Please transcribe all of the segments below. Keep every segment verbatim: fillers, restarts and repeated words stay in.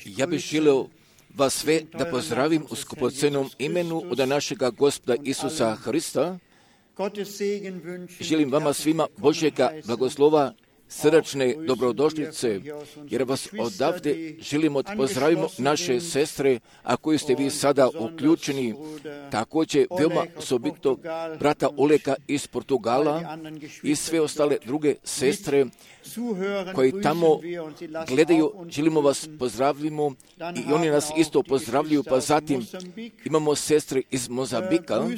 Ja bih želio vas sve da pozdravim u skupocenom imenu od našega Gospoda Isusa Hrista. Želim vama svima Božjega blagoslova, srdačne dobrodošlice, jer vas odavde želimo da pozdravimo naše sestre, a koji ste vi sada uključeni, također veoma osobito brata Oleka iz Portugala i sve ostale druge sestre koji tamo gledaju, želimo vas pozdravimo i oni nas isto pozdravljaju, pa zatim imamo sestre iz Mozambika,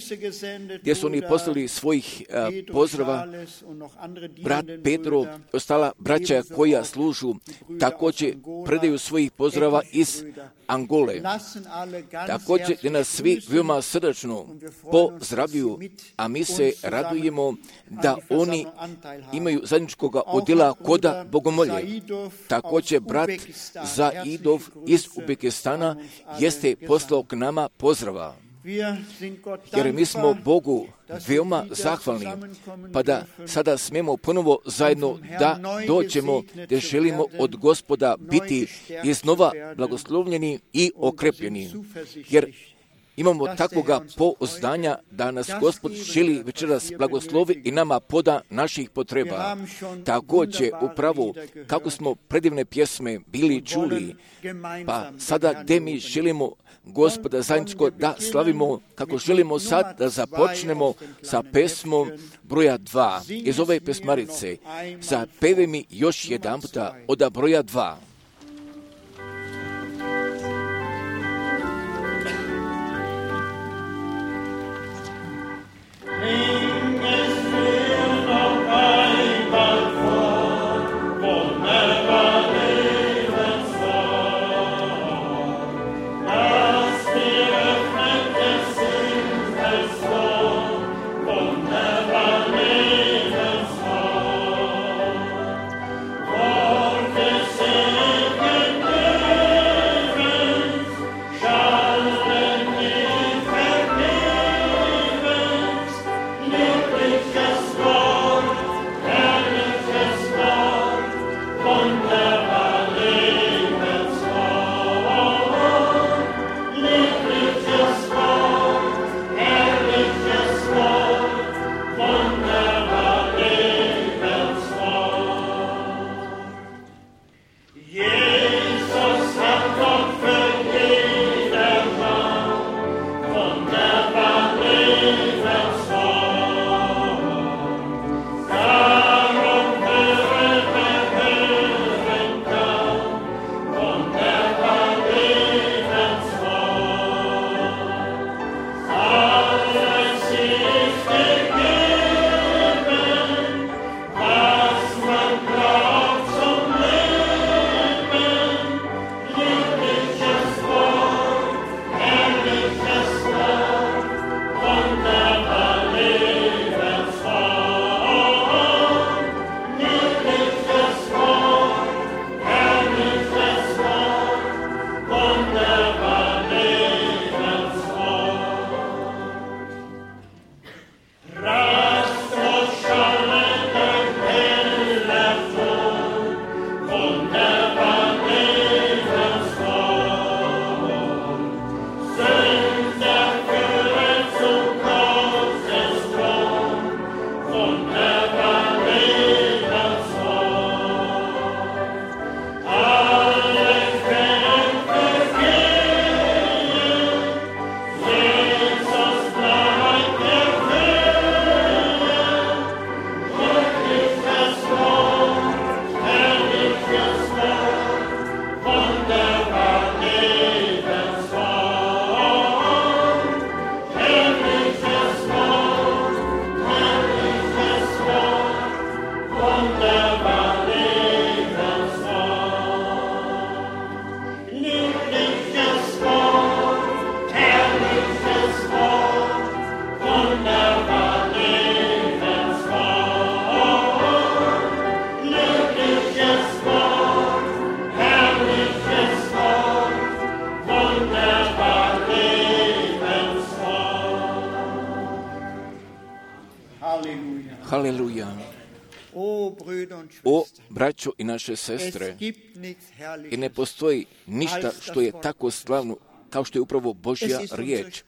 gdje su oni poslali svojih a, pozdrava, brat Pedro i ostala braća koja služu, također predaju svojih pozdrava iz Angole. Također gdje nas svi veoma srdačno pozdravljuju, a mi se radujemo da oni imaju zajedničkoga udjela koda bogomolje. Također brat Zaidov iz Uzbekistana jeste poslao k nama pozdrava. Jer mi smo Bogu veoma zahvalni, pa da sada smemo ponovo zajedno da dođemo, da želimo od Gospoda biti iznova blagoslovljeni i okrepljeni. Jer imamo takvoga pouzdanja da nas Gospod želi večeras blagoslovi i nama poda naših potreba. Također upravo kako smo predivne pjesme bili čuli, pa sada gdje mi želimo Gospoda zajedničko da slavimo, kako želimo sad da započnemo sa pesmom broja dva iz ove pesmarice. Zapevaj mi još jedan puta od broja dva. braćo i naše sestre, i ne postoji ništa što je tako slavno kao što je upravo Božja riječ,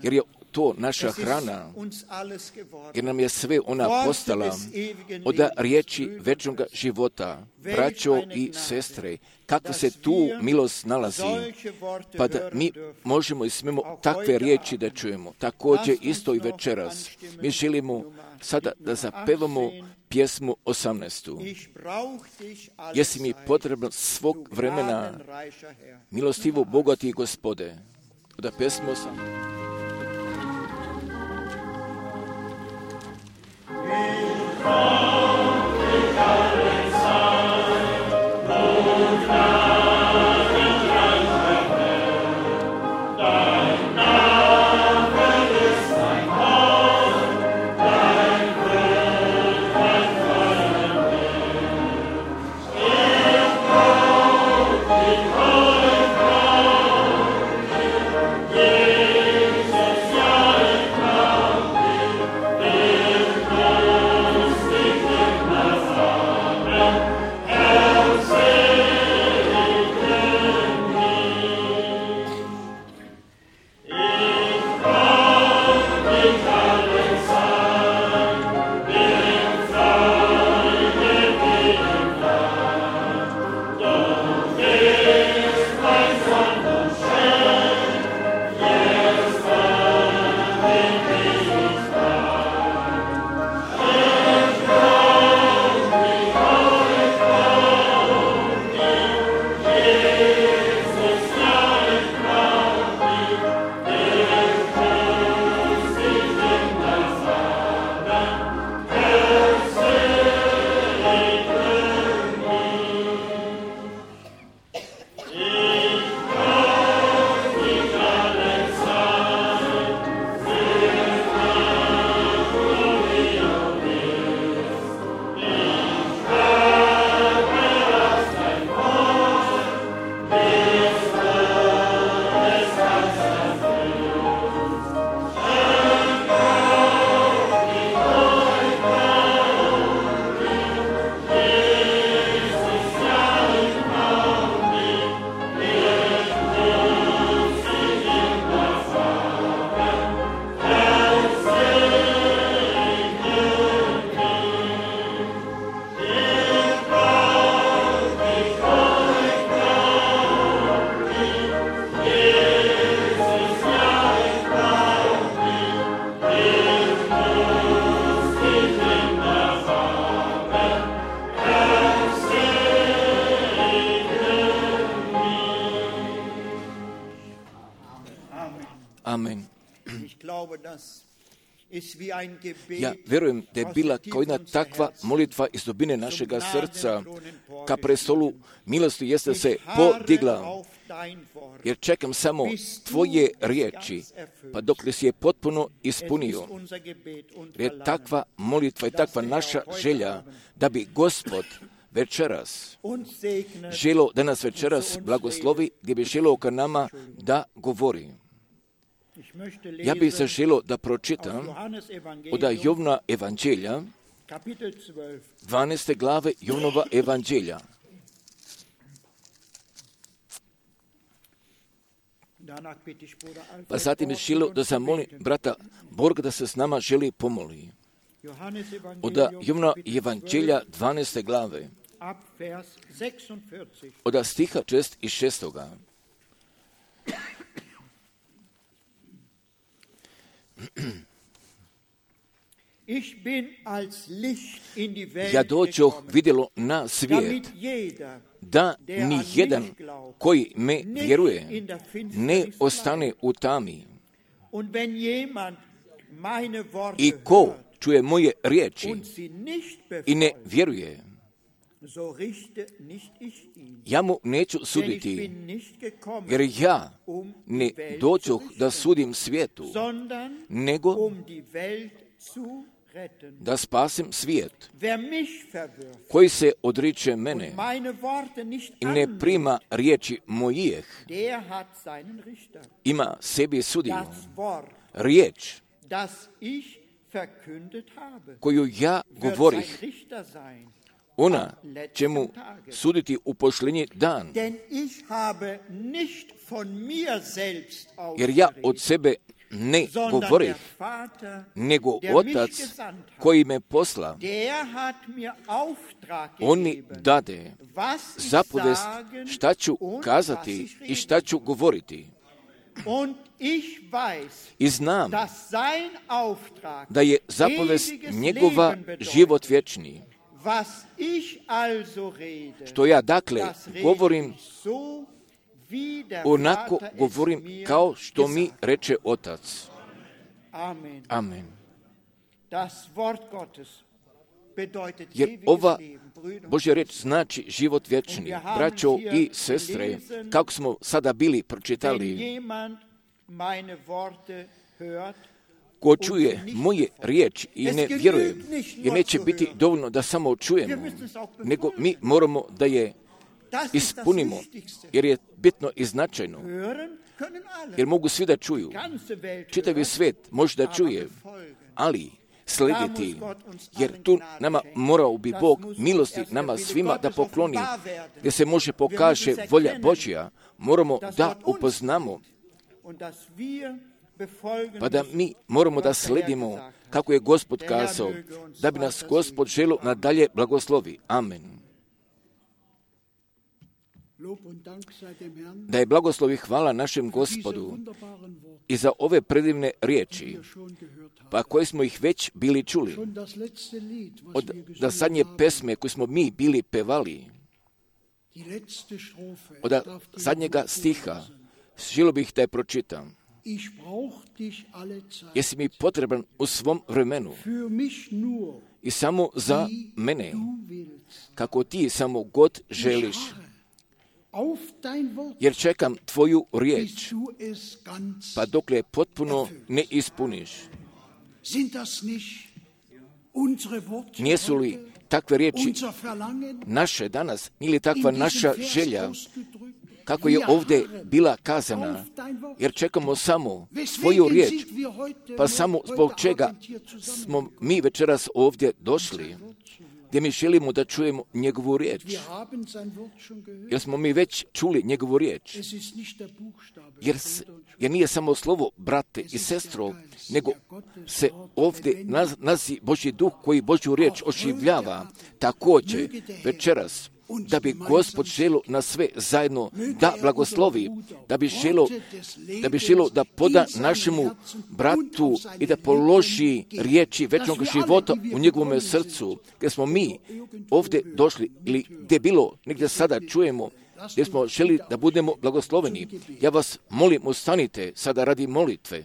jer je to naša hrana, jer nam je sve ona postala od riječi večnog života. Braćo i sestre, kakva se tu milost nalazi, pa da mi možemo i smemo takve riječi da čujemo. Također isto i večeras. Mi želimo sada da zapevamo pjesmu osamnaestu. Jesi mi potreban svog vremena, milostivo bogati Gospode. Da pjesmu osamnaestu. Amen. Ja vjerujem da je bila kao jedna takva molitva iz dubine našega srca ka prestolu milosti jeste se podigla, jer čekam samo tvoje riječi, pa dok li si je potpuno ispunio. Jer je takva molitva i takva naša želja da bi Gospod večeras želo da nas večeras blagoslovi, gdje bi želo ka nama da govori. Ja bih se želio da pročitam od Jovna evanđelja, dvanaeste glave Jovnova evanđelja. Pa zatim bih želio da zamolim brata Borga da se s nama želi pomoli. Od Jovna evanđelja dvanaeste glave, od stiha šest i šestoga. Ja dođoh vidjelo na svijet, da ni jedan koji me vjeruje ne ostane u tami. I ko čuje moje riječi i ne vjeruje, ja mu neću suditi, jer ja ne dođoh da sudim svijetu, nego da spasim svijet. Koji se odriče mene i ne prima riječi mojih, ima sebi sudiju. Riječ koju ja govorih, ona će mu suditi u posljednji dan. Jer ja od sebe ne govorim, nego Otac koji me posla, on mi dade zapovest šta ću kazati i šta ću govoriti. I znam da je zapovest njegova život vječni. Što ja dakle govorim, onako govorim kao što mi reče Otac. Amen. Jer ova Božja reč znači život vječni. Braćo i sestre, kako smo sada bili pročitali, ko čuje moje riječi i ne vjeruje, jer neće biti dovoljno da samo čujemo, nego mi moramo da je ispunimo, jer je bitno i značajno. Jer mogu svi da čuju. Čitavi svijet može da čuje, ali slediti, jer tu nama morao bi Bog milosti nama svima da pokloni, gdje se može pokaže volja Božja, moramo da upoznamo, pa da mi moramo da sledimo kako je Gospod kazao, da bi nas Gospod želio nadalje blagoslovi. Amen. Da je blagoslov i hvala našem Gospodu i za ove predivne riječi, pa koje smo ih već bili čuli, od da zadnje pesme koje smo mi bili pevali, od zadnjega stiha, želio bih da je pročitam. Jesi mi potreban u svom vremenu i samo za mene, kako ti samo god želiš, jer čekam tvoju riječ, pa dokle potpuno ne ispuniš. Nijesu li takve riječi naše danas, ili takva naša želja, kako je ovdje bila kazana, jer čekamo samo tvoju riječ, pa samo zbog čega smo mi večeras ovdje došli, gdje mi želimo da čujemo njegovu riječ. Jer smo mi već čuli njegovu riječ. Jer, jer nije samo slovo, brate i sestro, nego se ovdje naz, nazi Božji duh koji Božju riječ oživljava. Također večeras, da bi Gospod želio na sve zajedno da blagoslovi, da bi želio da, bi želio da poda našemu bratu i da položi riječi večnog života u njegovom srcu, gdje smo mi ovdje došli ili gdje bilo, negdje sada čujemo, gdje smo želi da budemo blagosloveni. Ja vas molim, ustanite sada radi molitve.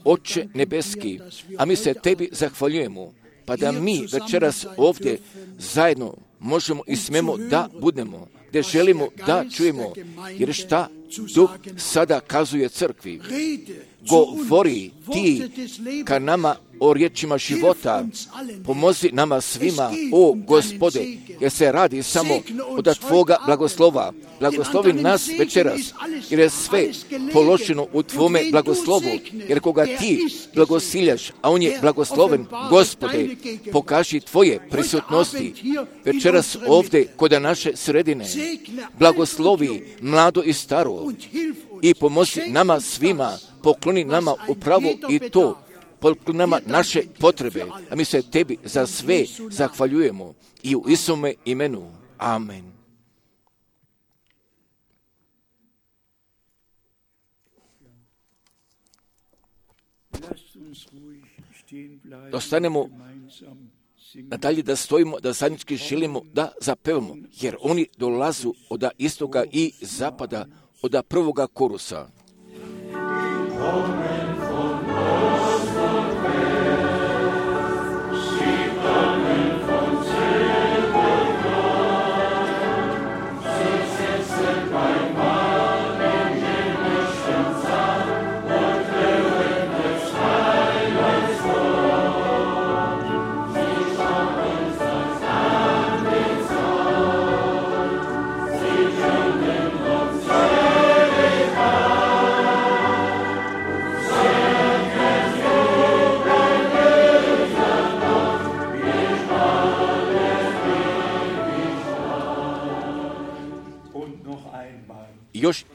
Oče nebeski, a mi se tebi zahvaljujemo, pa da mi večeras ovdje zajedno možemo i smemo da budemo, gdje želimo da čujemo, jer šta Duh sada kazuje crkvi. Govori ti ka nama o riječima života, pomozi nama svima, o Gospode, jer se radi samo od tvoga blagoslova. Blagoslovi nas večeras, jer je sve položeno u tvome blagoslovu, jer koga ti blagosiljaš, a on je blagosloven, Gospode, pokaži tvoje prisutnosti večeras ovdje kod naše sredine. Blagoslovi mlado i staro i pomozi nama svima, pokloni nama upravo i to, pokloni nama naše potrebe, a mi se tebi za sve zahvaljujemo i u Isuse imenu. Amen. Ostanemo nadalje da stojimo, da zajednički želimo da zapevamo, jer oni dolazu od istoka i zapada, od prvoga korusa. još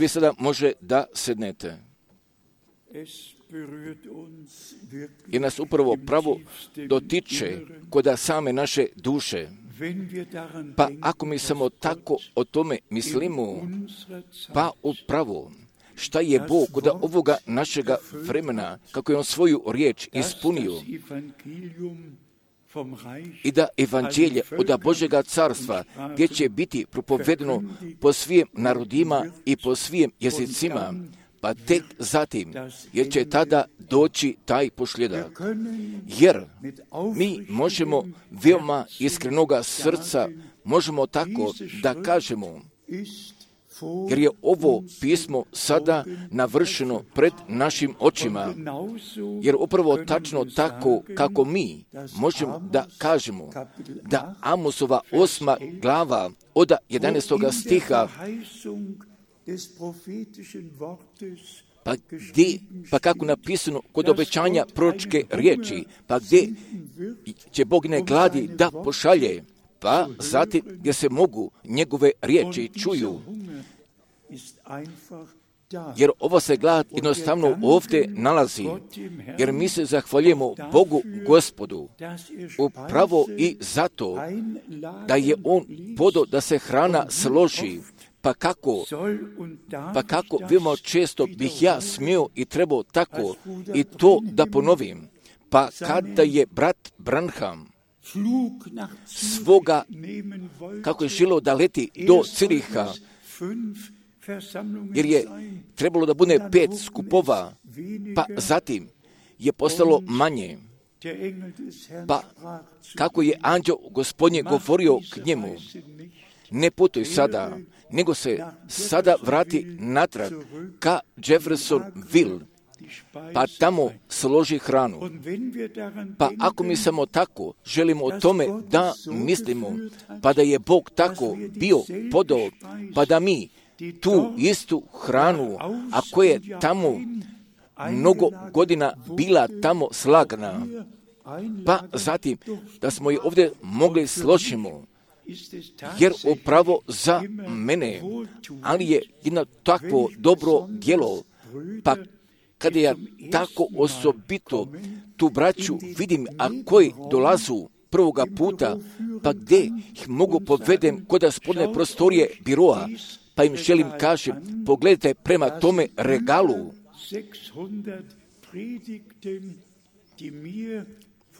vi sada može da sednete. Jer nas upravo pravo dotiče kod same naše duše. Pa ako mi samo tako o tome mislimo, pa upravo šta je Bog kod ovoga našega vremena, kako je On svoju riječ ispunio, i da evanđelje od Božjega carstva, gdje će biti propovedeno po svim narodima i po svim jezicima, pa tek zatim, jer će tada doći taj posljedak. Jer mi možemo veoma iskrenoga srca, možemo tako da kažemo, jer je ovo pismo sada navršeno pred našim očima, jer upravo tačno tako kako mi možemo da kažemo da Amosova osma glava od jedanaestoga stiha, pa gdje, pa kako napisano kod obećanja proročke riječi, pa gdje će Bog ne gladi da pošalje, pa zatim gdje se mogu njegove riječi čuju. Jer ovo se glad jednostavno ovdje nalazi, jer mi se zahvaljujemo Bogu Gospodu upravo i zato da je On podao da se hrana složi. Pa kako, pa kako veoma često bih ja smio i trebao tako i to da ponovim. Pa kada je brat Branham svoga, kako je želio da leti do Ciriha, jer je trebalo da bude pet skupova, pa zatim je postalo manje. Pa kako je anđeo Gospodnje govorio k njemu, ne putuj sada, nego se sada vrati natrag ka Jeffersonville, pa tamo složi hranu. Pa ako mi samo tako želimo o tome da mislimo, pa da je Bog tako bio podao, pa da mi tu istu hranu, a koja je tamo mnogo godina bila tamo slagana, pa zatim da smo je ovdje mogli složimo, jer upravo za mene, ali je jedno takvo dobro djelo, pa kada ja tako osobito tu braću vidim, a koji dolazu prvoga puta, pa gdje ih mogu povedem kod spodne prostorije biroa, pa im želim kažem, pogledajte prema tome regalu,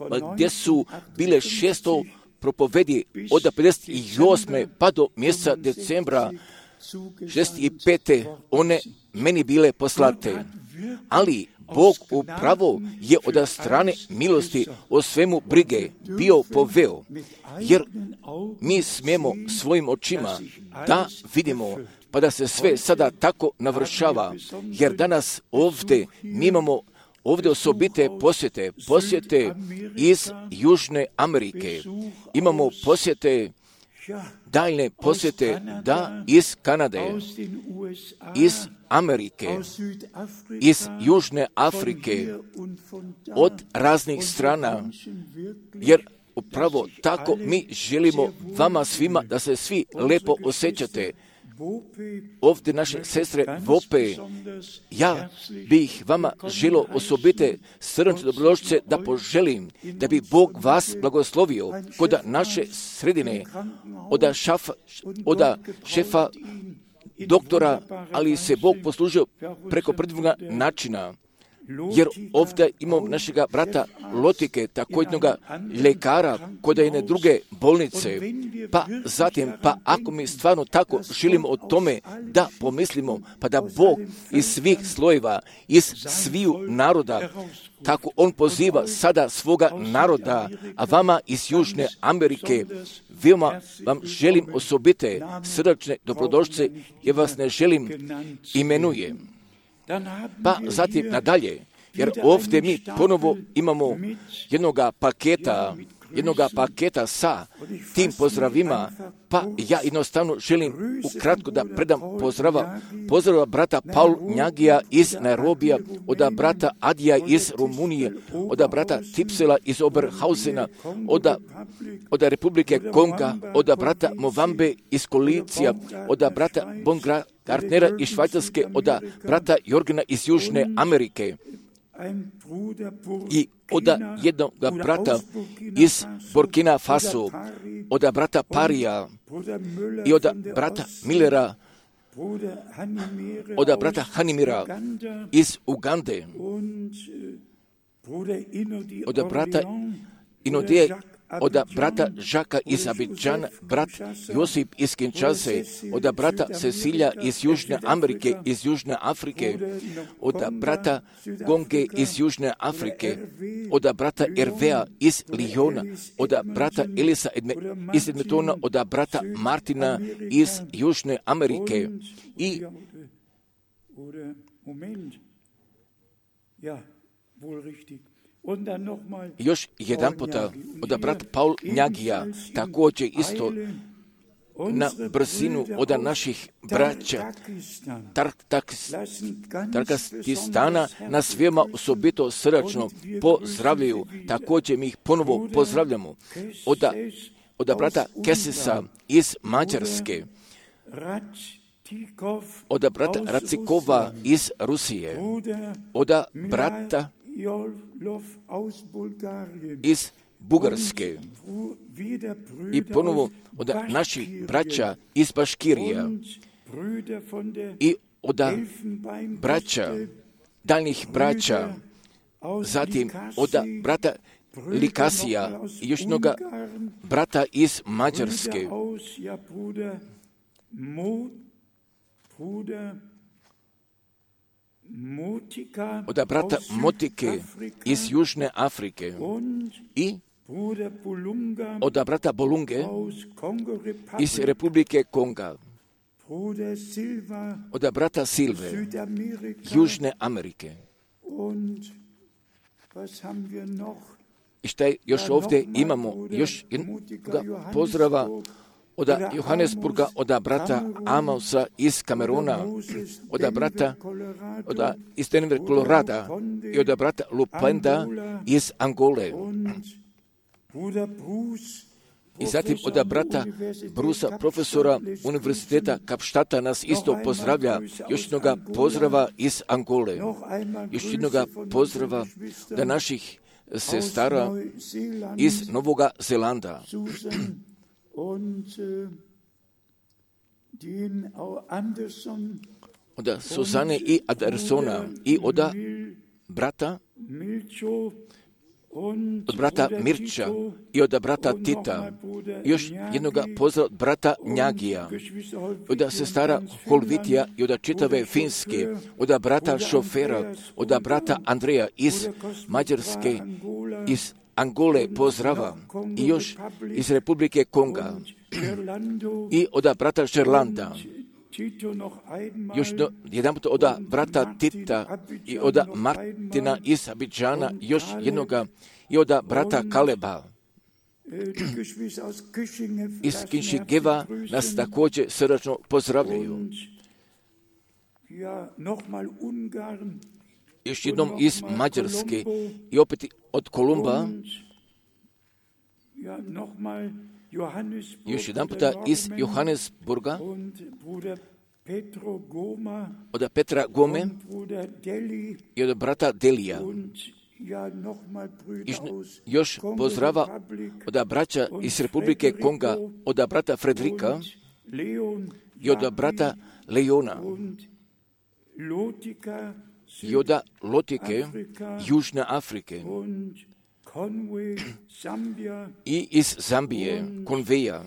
pa gdje su bile šesto propovedi od pedeset osme pa do mjeseca decembra šezdeset pete one meni bile poslate. Ali Bog upravo je od strane milosti o svemu brige bio poveo, jer mi smijemo svojim očima da vidimo, pa da se sve sada tako navršava, jer danas ovdje mi imamo ovdje osobite posjete, posjete iz Južne Amerike, imamo posjete, daljne posjete, da, iz Kanade, iz Amerike, iz Južne Afrike, od raznih strana, jer upravo tako mi želimo vama svima da se svi lepo osjećate. Ovdje naše sestre Vope, ja bih vama želio osobite srdačne dobrodošlice da poželim da bi Bog vas blagoslovio kod naše sredine, od, šafa, od šefa doktora, ali se Bog poslužio preko predivnog načina. jer ovdje imamo našega brata Lotike, tako jednoga ljekara kod jedne druge bolnice, pa zatim, pa ako mi stvarno tako želimo o tome da pomislimo, pa da Bog iz svih slojeva, iz sviju naroda, tako On poziva sada svoga naroda, a vama iz Južne Amerike, veoma vam želim osobite srdačne dobrodošlice, jer vas ne želim imenuje. Pa zatim nadalje, jer ovdje mi ponovo imamo jednoga paketa, jednoga paketa sa tim pozdravima, pa ja jednostavno želim ukratko da predam pozdrava, pozdrava brata Paul Njagija iz Nairobija, od brata Adija iz Rumunije, od brata Tipsela iz Oberhausena, od, od Republike Konga, od brata Movambe iz Kolicija, od brata Bongartnera iz Švajcarske, od brata Jorgena iz Južne Amerike. I od jednog brata iz Burkina Faso, od brata Parija i od brata Millera, od brata Hanimira iz Ugande, od brata Inodije, od brata Žaka iz Abidžana, brat Josip iz Kinshase, od brata Cecilija iz Južne Amerike, iz Južne Afrike, od brata Gonge iz Južne Afrike, od brata Ervea iz Lijona, od brata Elisa Edme, iz Edmetona, od brata Martina iz Južne Amerike i još jedan puta od brata Paul Njagija, također isto na brzinu od naših braća Tarkastistana nas veoma osobito srdačno pozdravljaju. Također mi ih ponovo pozdravljamo. Od, od brata Kesisa iz Mađarske, od brata Racikova iz Rusije, od brata iz Bugarske i ponovo od naših braća iz Baškirija i od braća, daljnjih braća, zatim od brata Likasija i još jednoga brata iz Mađarske, od brata Motike iz Južne Afrike i od brata Bolunge iz Republike Konga, od brata Silve Južne Amerike. I šta još ovdje imamo? Još jednoga pozdrava od Johannesburga, od brata Amosa iz Kameruna, od brata od, iz Denver, Kolorada i od brata Lupenda iz Angole. I zatim od brata Brusa, profesora Univerziteta Kapštata, nas isto pozdravlja. Još jednoga pozdrava iz Angole. Još jednoga pozdrava od naših sestara iz Novoga Zelanda. Od Suzane i Andersona i od brata od brata Mirča i od brata Tita, još jednoga pozdrav od brata Njagija, od sestara Holvitija i od čitave Finske, od brata Šofera, od brata Andreja iz Mađarske, iz Angole pozdrava i još iz Republike Konga i od brata Šerlanda. Još do, jedan put od brata Tita i od Martina iz Abidžana, još jednoga i od brata Kaleba iz Kinšigeva nas također srdačno pozdravljaju. Još jednom iz Mađarske i opet od Kolumba, još jedan puta iz Johannesburga, od Petra Gome i od brata Delija. Još pozdrava od braća iz Republike Konga, od brata Frederika i od brata Leona i od Lotike, Južne Afrike i iz Zambije, Konveja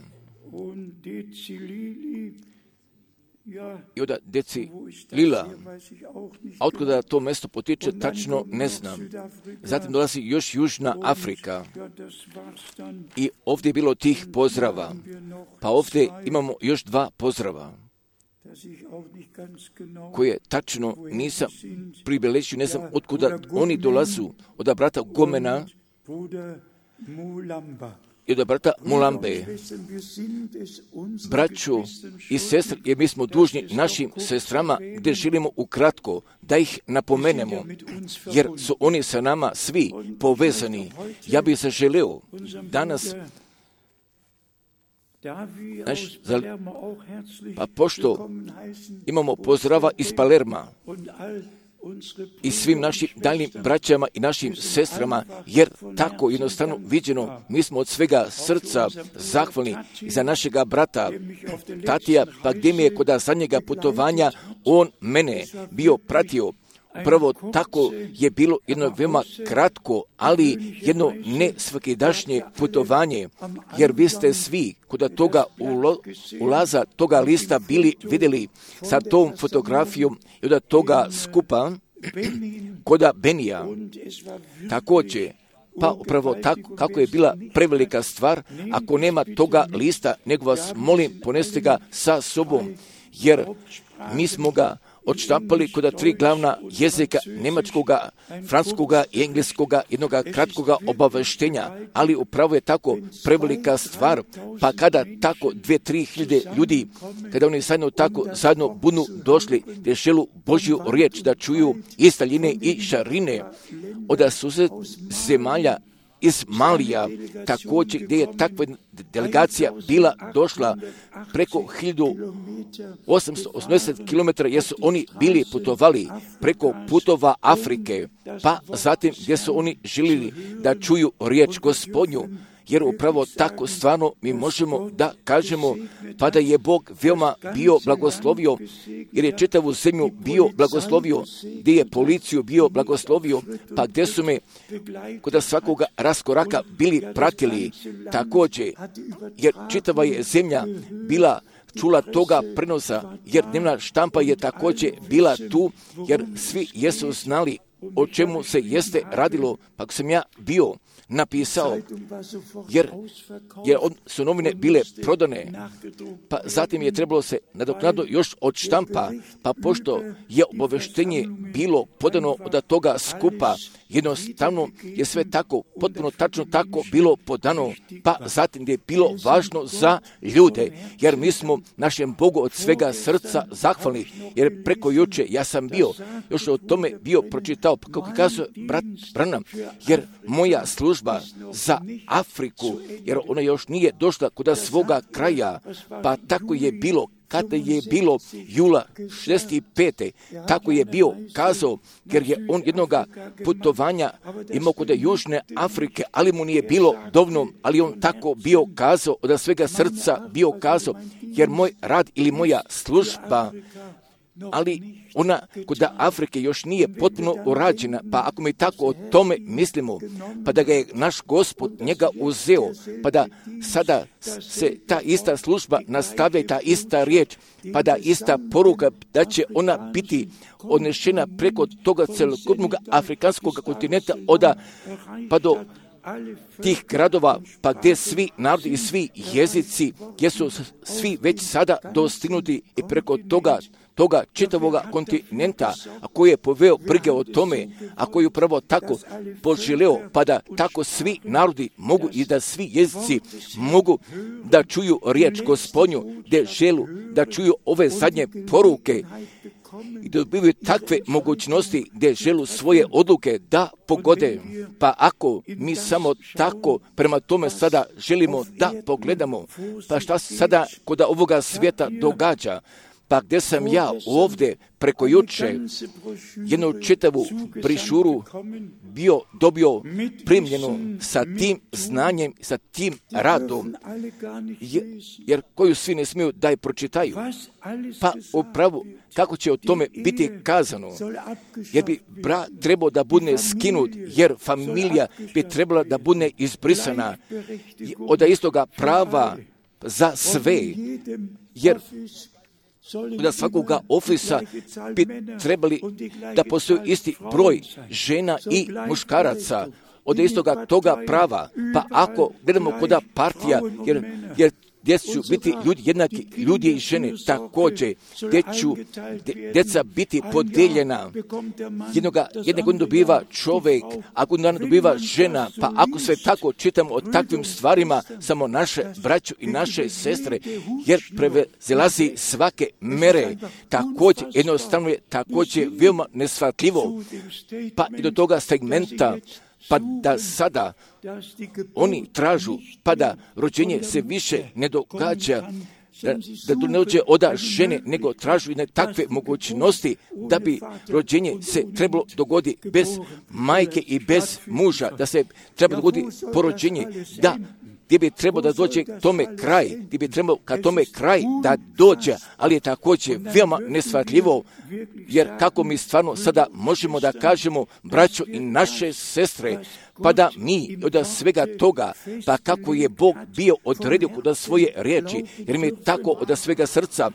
i od Deci Lila. A otkuda to mjesto potiče, tačno ne znam. Zatim dolazi još Južna Afrika. I ovdje je bilo tih pozdrava. Pa ovdje imamo još dva pozdrava koje tačno nisam pribeležio, ne znam otkuda oni dolazu, od brata Gomena i od brata Mulambe. Braćo i sestre, jer mi smo dužni našim sestrama gdje želimo ukratko da ih napomenemo, jer su oni sa nama svi povezani. Ja bih se želeo danas Naš, pa pošto imamo pozdrava iz Palerma i svim našim daljnim braćama i našim sestrama, jer tako jednostavno viđeno, mi smo od svega srca zahvalni za našega brata Tatija, pa gdje mi je kod zadnjega putovanja on mene bio pratio. Prvo tako je bilo jedno veoma kratko, ali jedno ne svakidašnje putovanje, jer vi ste svi kod toga ulo, ulaza toga lista bili vidjeli sa tom fotografijom i od toga skupa kod Benija. Također, pa upravo tako kako je bila prevelika stvar, ako nema toga lista, nego vas molim poneste ga sa sobom, jer mi smo ga odštampali kod tri glavna jezika, njemačkoga, francuskoga i engleskoga, jednoga kratkoga obaveštenja, ali upravo je tako prevelika stvar, pa kada tako dve, tri hiljade ljudi, kada oni zajedno tako zajedno budu došli, gdje želu Božju riječ da čuju iz Taljine i Šarine, od sused zemalja iz Malija, također gdje je takva delegacija bila došla preko hiljadu osamsto osamdeset kilometara, jer su oni bili putovali preko putova Afrike, pa zatim gdje su oni željeli da čuju riječ Gospodnju, jer upravo tako stvarno mi možemo da kažemo, pa da je Bog veoma bio blagoslovio, jer je čitavu zemlju bio blagoslovio, gdje je policiju bio blagoslovio, pa gdje su me kod svakoga raskoraka bili pratili također, jer čitava je zemlja bila čula toga prenosa, jer dnevna štampa je također bila tu, jer svi jesu znali o čemu se jeste radilo, pa sam ja bio napisao, jer, jer su novine bile prodane, pa zatim je trebalo se nadoknadno još od štampa, pa pošto je obaveštenje bilo podano od toga skupa, jednostavno je sve tako, potpuno tačno tako bilo podano, pa zatim je bilo važno za ljude, jer mi smo našem Bogu od svega srca zahvalni, jer preko juče ja sam bio, još o tome bio pročitao, pa kako kazuje brat Branham, jer moja služba za Afriku, jer ona još nije došla kod svoga kraja, pa tako je bilo kada je bilo jula šezdeset pete. Tako je bio kazao, jer je on jednoga putovanja imao kod Južne Afrike, ali mu nije bilo dovoljno, ali on tako bio kazao, od svega srca bio kazao, jer moj rad ili moja služba, ali ona kod Afrike još nije potpuno urađena, pa ako mi tako o tome mislimo, pa da ga je naš Gospod njega uzeo, pa da sada se ta ista služba nastavlja i ta ista riječ, pa da ista poruka da će ona biti odnešena preko toga celokupnog afrikanskog kontinenta, oda pa do tih gradova, pa gdje svi narodi i svi jezici, gdje su svi već sada dostignuti i preko toga toga čitavoga kontinenta, a koji je poveo brige o tome, a koji je upravo tako poželeo, pa da tako svi narodi mogu i da svi jezici mogu da čuju riječ Gospodnju, gdje želu da čuju ove zadnje poruke i da dobivaju takve mogućnosti gdje želu svoje odluke da pogode. Pa ako mi samo tako prema tome sada želimo da pogledamo, pa šta se sada kod ovoga svijeta događa, Pa gdje sam ja ovdje preko juče jednu čitavu brišuru bio dobio primljenu sa tim znanjem, sa tim radom, jer, jer koju svi ne smiju da je pročitaju. Pa upravo kako će o tome biti kazano, jer bi brat trebao da bude skinut, jer familija bi trebala da bude izbrisana od istoga prava za sve, jer da svakoga ofisa bi trebali da postoji isti broj žena i muškaraca od istoga toga prava. Pa ako gledamo koda partija, jer, jer gdje će biti ljudi jednaki, ljudi i žene također, gdje će djeca biti podijeljena. Jednoga, jedne godine dobiva čovjek, a godinu dana dobiva žena, pa ako sve tako čitamo o takvim stvarima, samo naše braću i naše sestre, jer prevazilazi svake mere, također jednostavno je također veoma nesvatljivo, pa i do toga segmenta, pa da sada oni tražu, pa da rođenje se više ne događa, da, da to ne dođe od žene, nego tražu i takve mogućnosti da bi rođenje se trebalo dogoditi bez majke i bez muža, da se treba dogoditi porođenje, da gdje bi trebao da dođe tome kraj, gdje bi trebao ka tome kraj da dođe, ali je također veoma nesvatljivo, jer kako mi stvarno sada možemo da kažemo, braćo i naše sestre, pa da mi od svega toga, pa kako je Bog bio odredio kod svoje riječi, jer mi tako od svega srca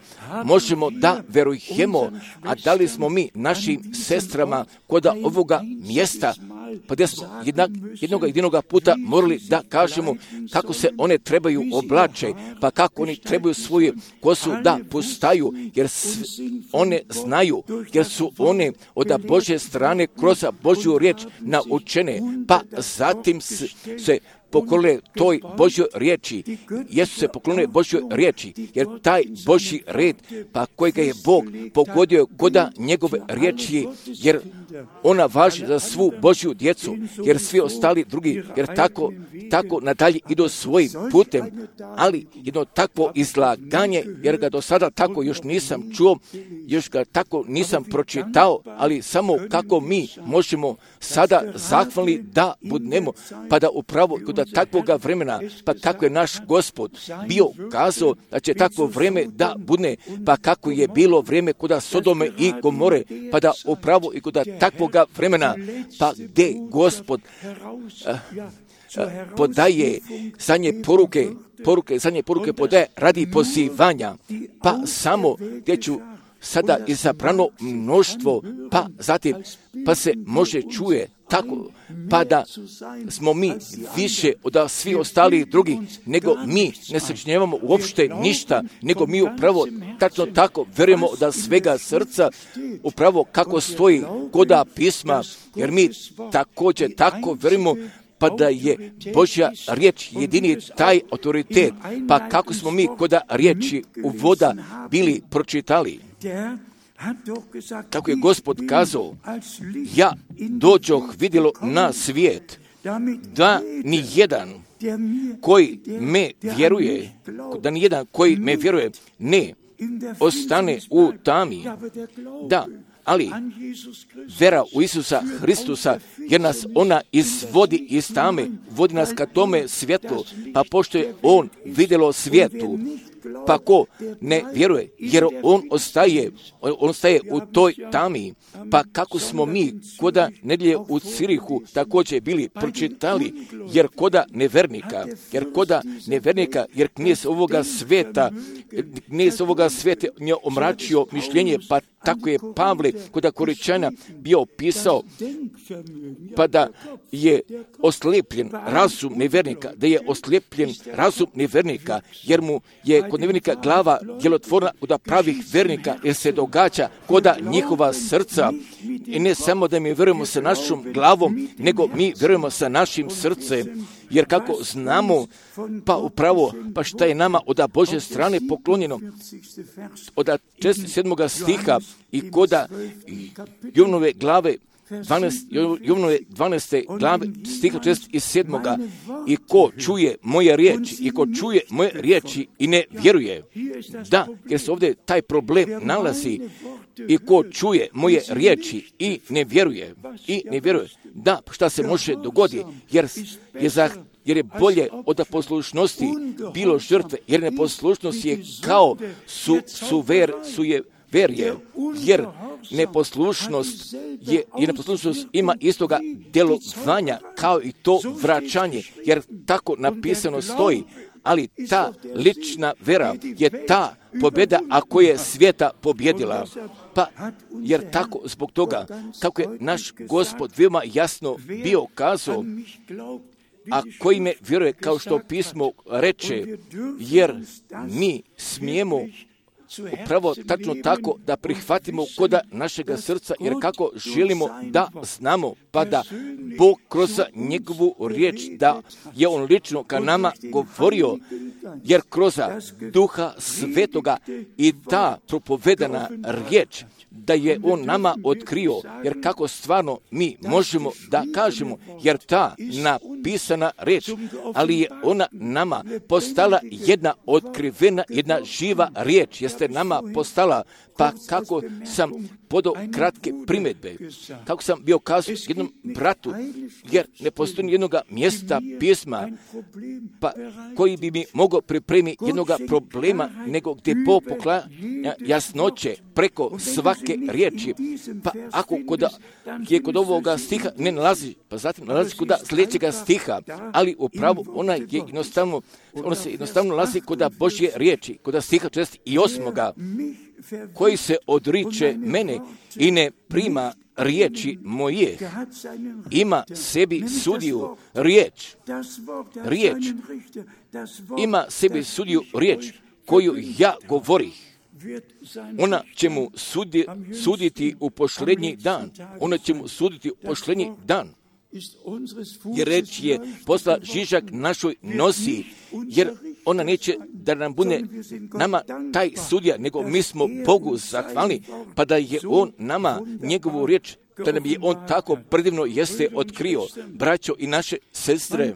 možemo da verujemo, a da li smo mi našim sestrama kod ovoga mjesta, pa gdje smo jednak, jednog jedinoga puta morali da kažemo kako se one trebaju oblače, pa kako oni trebaju svoju kosu da pustaju, jer one znaju, jer su one od Božje strane kroz Božju riječ naučene, pa zatim se poklone toj Božjoj riječi, jesu se poklone Božjoj riječi, jer taj Božji red, pa kojega je Bog pogodio koda njegove riječi, jer ona važi za svu Božju djecu, jer svi ostali drugi, jer tako, tako nadalje idu svojim putem, ali jedno takvo izlaganje, jer ga do sada tako još nisam čuo, još ga tako nisam pročitao, ali samo kako mi možemo sada zahvalni da budemo, pa da upravo kod takvoga vremena, pa kako je naš Gospod bio kazao da će takvo vreme da bude, pa kako je bilo vrijeme kod Sodome i Gomore, pa da upravo i kod takvoga vremena, pa gdje Gospod a, a, podaje zadnje poruke, poruke, zadnje poruke podaje radi pozivanja, pa samo gdje ću sada izabrano mnoštvo, pa zatim, pa se može čuje tako, pa da smo mi više od svi ostali drugi, nego mi ne sačinjavamo uopšte ništa, nego mi upravo tačno tako verujemo da svega srca, upravo kako stoji koda pisma, jer mi također tako verujemo, pa da je Božja riječ jedini taj autoritet, pa kako smo mi koda riječi u voda bili pročitali. Kako je Gospod kazao, ja dođoh vidjelo na svijet, da ni jedan koji me vjeruje, da ni jedan koji me vjeruje ne ostane u tami. Da, ali vera u Isusa Hristusa, jer nas ona izvodi iz tame, vodi nas ka tome svjetlu, pa pošto je on vidjelo svijetu, pa ko ne vjeruje, jer on ostaje, on ostaje u toj tami, pa kako smo mi koda nedjelje u Cirihu također bili pročitali, jer koda nevernika, jer koda nevernika, jer knjez ovoga svijeta, knjez ovoga svijeta nje omračio mišljenje, pa tako je Pavle koda Koričana bio pisao, pa da je oslijepljen razum nevernika, da je oslijepljen razum nevernika, jer mu je kod nevernika glava djelotvorna kod pravih vernika, jer se događa koda njihova srca. I ne samo da mi vjerujemo sa našom glavom, nego mi vjerujemo sa našim srcem. Jer kako znamo, pa upravo, pa šta je nama od Božje strane poklonjeno, od četrdeset sedmog stiha i koda Jovnove glave Jovnove dvanaeste glave stiha četrdeset sedam. I ko čuje moje riječi, i ko čuje moje riječi i ne vjeruje. Da, jer se ovdje taj problem nalazi. I ko čuje moje riječi i ne vjeruje. I ne vjeruje. Da, šta se može dogoditi, jer je za jer je bolje od poslušnosti bilo žrtve, jer neposlušnost je kao su, su ver, su je verje, jer neposlušnost je, jer neposlušnost ima istoga djelovanja kao i to vraćanje, jer tako napisano stoji, ali ta lična vera je ta pobjeda ako je svijeta pobjedila. Pa, jer tako, zbog toga, kako je naš Gospod veoma jasno bio kazao, a koji me vjeruje, kao što pismo reče, jer mi smijemo upravo tačno tako da prihvatimo koda našega srca, jer kako želimo da znamo, pa da Bog kroz njegovu riječ, da je on lično ka nama govorio, jer kroz Duha Svetoga i ta propovedana riječ, da je on nama otkrio, jer kako stvarno mi možemo da kažemo, jer ta napisana riječ, ali je ona nama postala jedna otkrivena, jedna živa riječ, jeste nama postala, pa kako sam podao kratke primjedbe, kako sam bio kazao jednom bratu, jer ne postoji jednog mjesta pisma, pa koji bi mi mogao pripremiti jednog problema, nego gdje Bog poklanja jasnoće preko svake riječi. Pa ako kod, je kod ovoga stiha ne nalazi, pa zatim nalazi kod sljedećega stiha, ali upravo ona je jednostavno, ona se jednostavno nalazi kod Božje riječi, kod stiha četrdeset osam. Koji se odriče mene i ne prima riječi moje, ima sebi sudiju riječ, riječ, ima sebi sudiju riječ koju ja govorih. Ona će mu sudi, suditi u posljednji dan, ona će mu suditi u posljednji dan. Jer reč je posla žižak našoj nosi, jer ona neće da nam bude nama taj sudija, nego mi smo Bogu zahvalni, pa da je on nama njegovu riječ, da nam je on tako predivno jeste otkrio, braćo i naše sestre,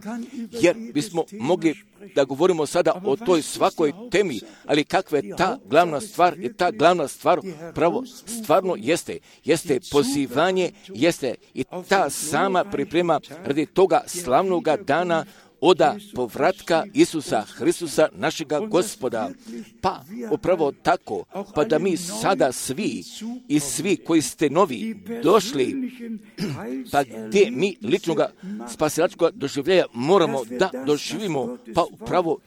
jer bismo mogli da govorimo sada o toj svakoj temi, ali kakva je ta glavna stvar, je ta glavna stvar pravo stvarno jeste, jeste pozivanje, jeste i ta sama priprema radi toga slavnoga dana oda povratka Isusa Hristusa, našega Gospoda. Pa upravo tako, pa da mi sada svi i svi koji ste novi došli, pa gdje mi ličnoga spasilačkoga doživljaja moramo da doživimo, pa upravo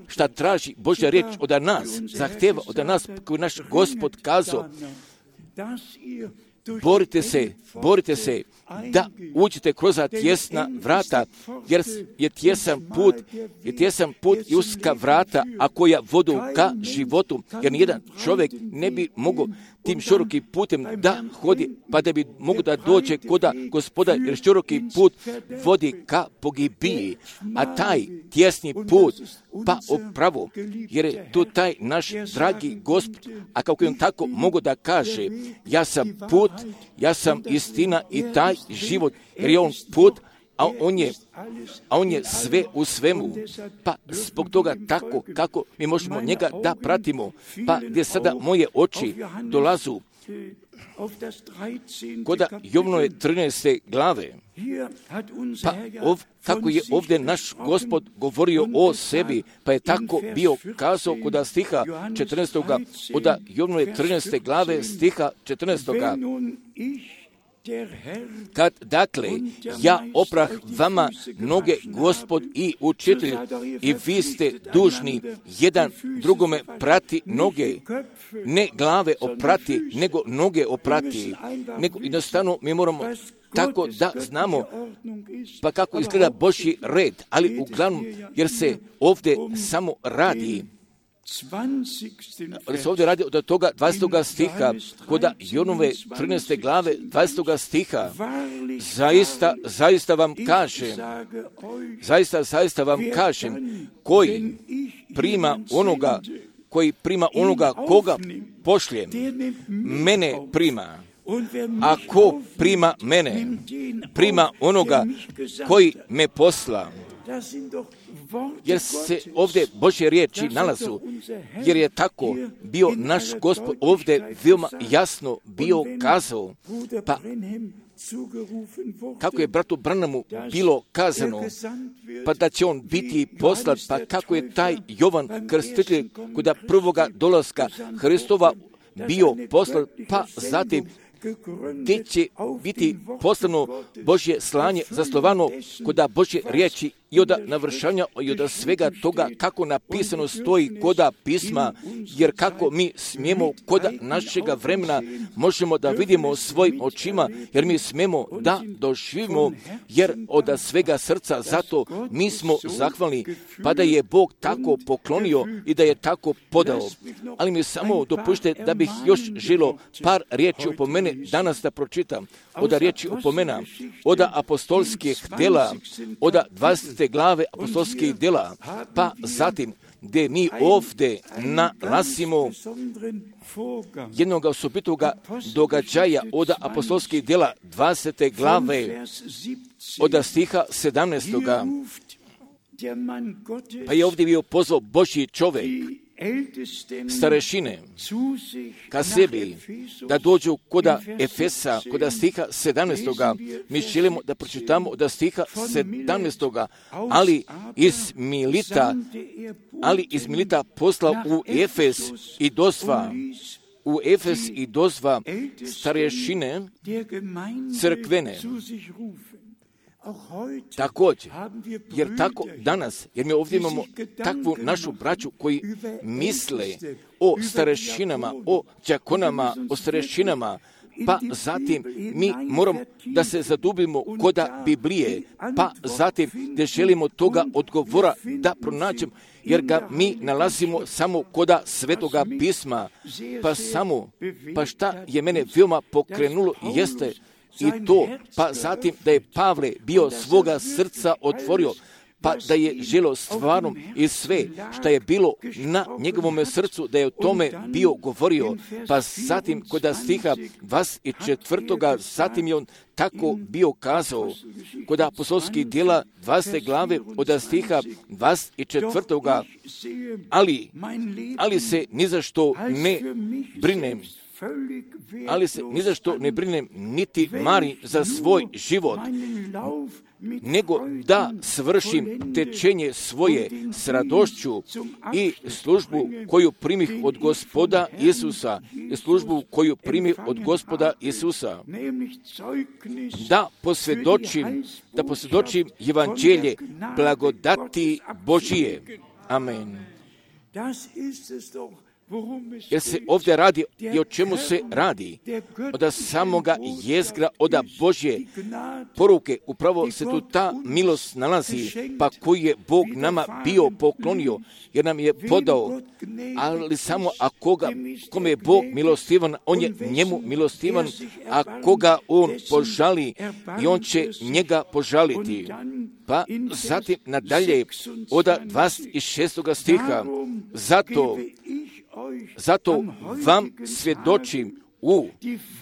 šta traži Božja riječ od nas, zahteva od nas, koji naš Gospod kazao, borite se, borite se da uđete kroz tjesna vrata, jer je tjesan put, je tjesan put i uska vrata, a koja vodu ka životu, jer nijedan čovjek ne bi mogao tim širokim putem da hodi, pa da bi mogu da dođe koda Gospoda, jer široki put vodi ka pogibiji, a taj tjesni put, pa upravo, jer je tu taj naš dragi Gospod, a kako on tako mogu da kaže, ja sam put, ja sam istina i taj život, jer je on put, a on je, a on je sve u svemu. Pa zbog toga tako kako mi možemo njega da pratimo, pa gdje sada moje oči dolazu koda Jovnove trinaeste glave, pa ov, kako je ovdje naš Gospod govorio o sebi, pa je tako bio kazao koda stiha četrnaestog. Od Jovnove trinaeste glave stiha četrnaestog. Kad, dakle, ja oprah vama noge, Gospod i učitelj, i vi ste dužni jedan drugome prati noge, ne glave oprati, nego noge oprati, nego jednostavno mi moramo tako da znamo pa kako izgleda Božji red, ali uglavnom, jer se ovdje samo radi, ali se ovdje radi od toga dvadesetog stiha, koda Jovnove trinaeste glave dvadesetog stiha, zaista, zaista vam kažem, zaista, zaista vam kažem, koji prima onoga, koji prima onoga koga pošljem, mene prima. A ko prima mene, prima onoga koji me posla. Jer se ovdje Božje riječi nalazu, jer je tako bio naš Gospod ovdje veoma jasno bio kazao. Pa kako je bratu Branamu bilo kazano, pa da će on biti poslat, pa kako je taj Jovan Krstitelj kod prvoga dolaska Hristova bio poslat, pa zatim gdje će biti poslano Božje slanje zaslovano koda Božje riječi i od navršanja i od svega toga kako napisano stoji koda pisma, jer kako mi smijemo koda našega vremena možemo da vidimo svojim očima, jer mi smijemo da doživimo, jer od svega srca zato mi smo zahvalni, pa da je Bog tako poklonio i da je tako podao. Ali mi samo dopušte da bih još želo par riječi upomene danas da pročitam. Od riječi upomena, od apostolskih dela, od dvadesete glave apostolskih dela, pa zatim gdje mi ovdje nalazimo jednog osobitoga događaja od apostolskih dela dvadesete glave, od stiha sedamnaestoga. Pa je ovdje bio pozvao Božji čovjek, starešine, ka sebi, da dođu koda Efesa, koda stiha sedamnaestoga. Mi želimo da pročitamo od stiha sedamnaestoga, ali iz Milita, ali iz Milita poslao u Efes i dozva, u Efes i dozva starešine crkvene. Također, jer tako danas, jer mi ovdje imamo takvu našu braću koji misle o starešinama, o đakonama, o starešinama, pa zatim mi moramo da se zadubimo koda Biblije, pa zatim da želimo toga odgovora da pronađemo, jer ga mi nalazimo samo koda Svetoga pisma, pa samo, pa šta je mene veoma pokrenulo jeste i to, pa zatim da je Pavle bio svoga srca otvorio, pa da je želo stvarno i sve što je bilo na njegovom srcu, da je o tome bio govorio, pa zatim kod stiha dvadeset četvrtoga zatim je on tako bio kazao, kod apostolskih djela dvadesete glave od stiha dvadeset četvrtoga. Ali, ali se ni za što ne brinem, ali se ni za što ne brinem, niti marim za svoj život, nego da svršim tečenje svoje s radošću i službu koju primih od Gospoda Isusa, i službu koju primih od Gospoda Isusa, da posvjedočim, da posvjedočim evanđelje blagodati Božije. Amen. Jer se ovdje radi i o čemu se radi? Od samoga jezgra, od Božje poruke, upravo se tu ta milost nalazi, pa koji je Bog nama bio poklonio, jer nam je podao, ali samo a koga, kome je Bog milostivan, on je njemu milostivan, a koga on požali, i on će njega požaliti. Pa zatim nadalje od dvadeset šestoga stiha, zato Zato vam svjedočim u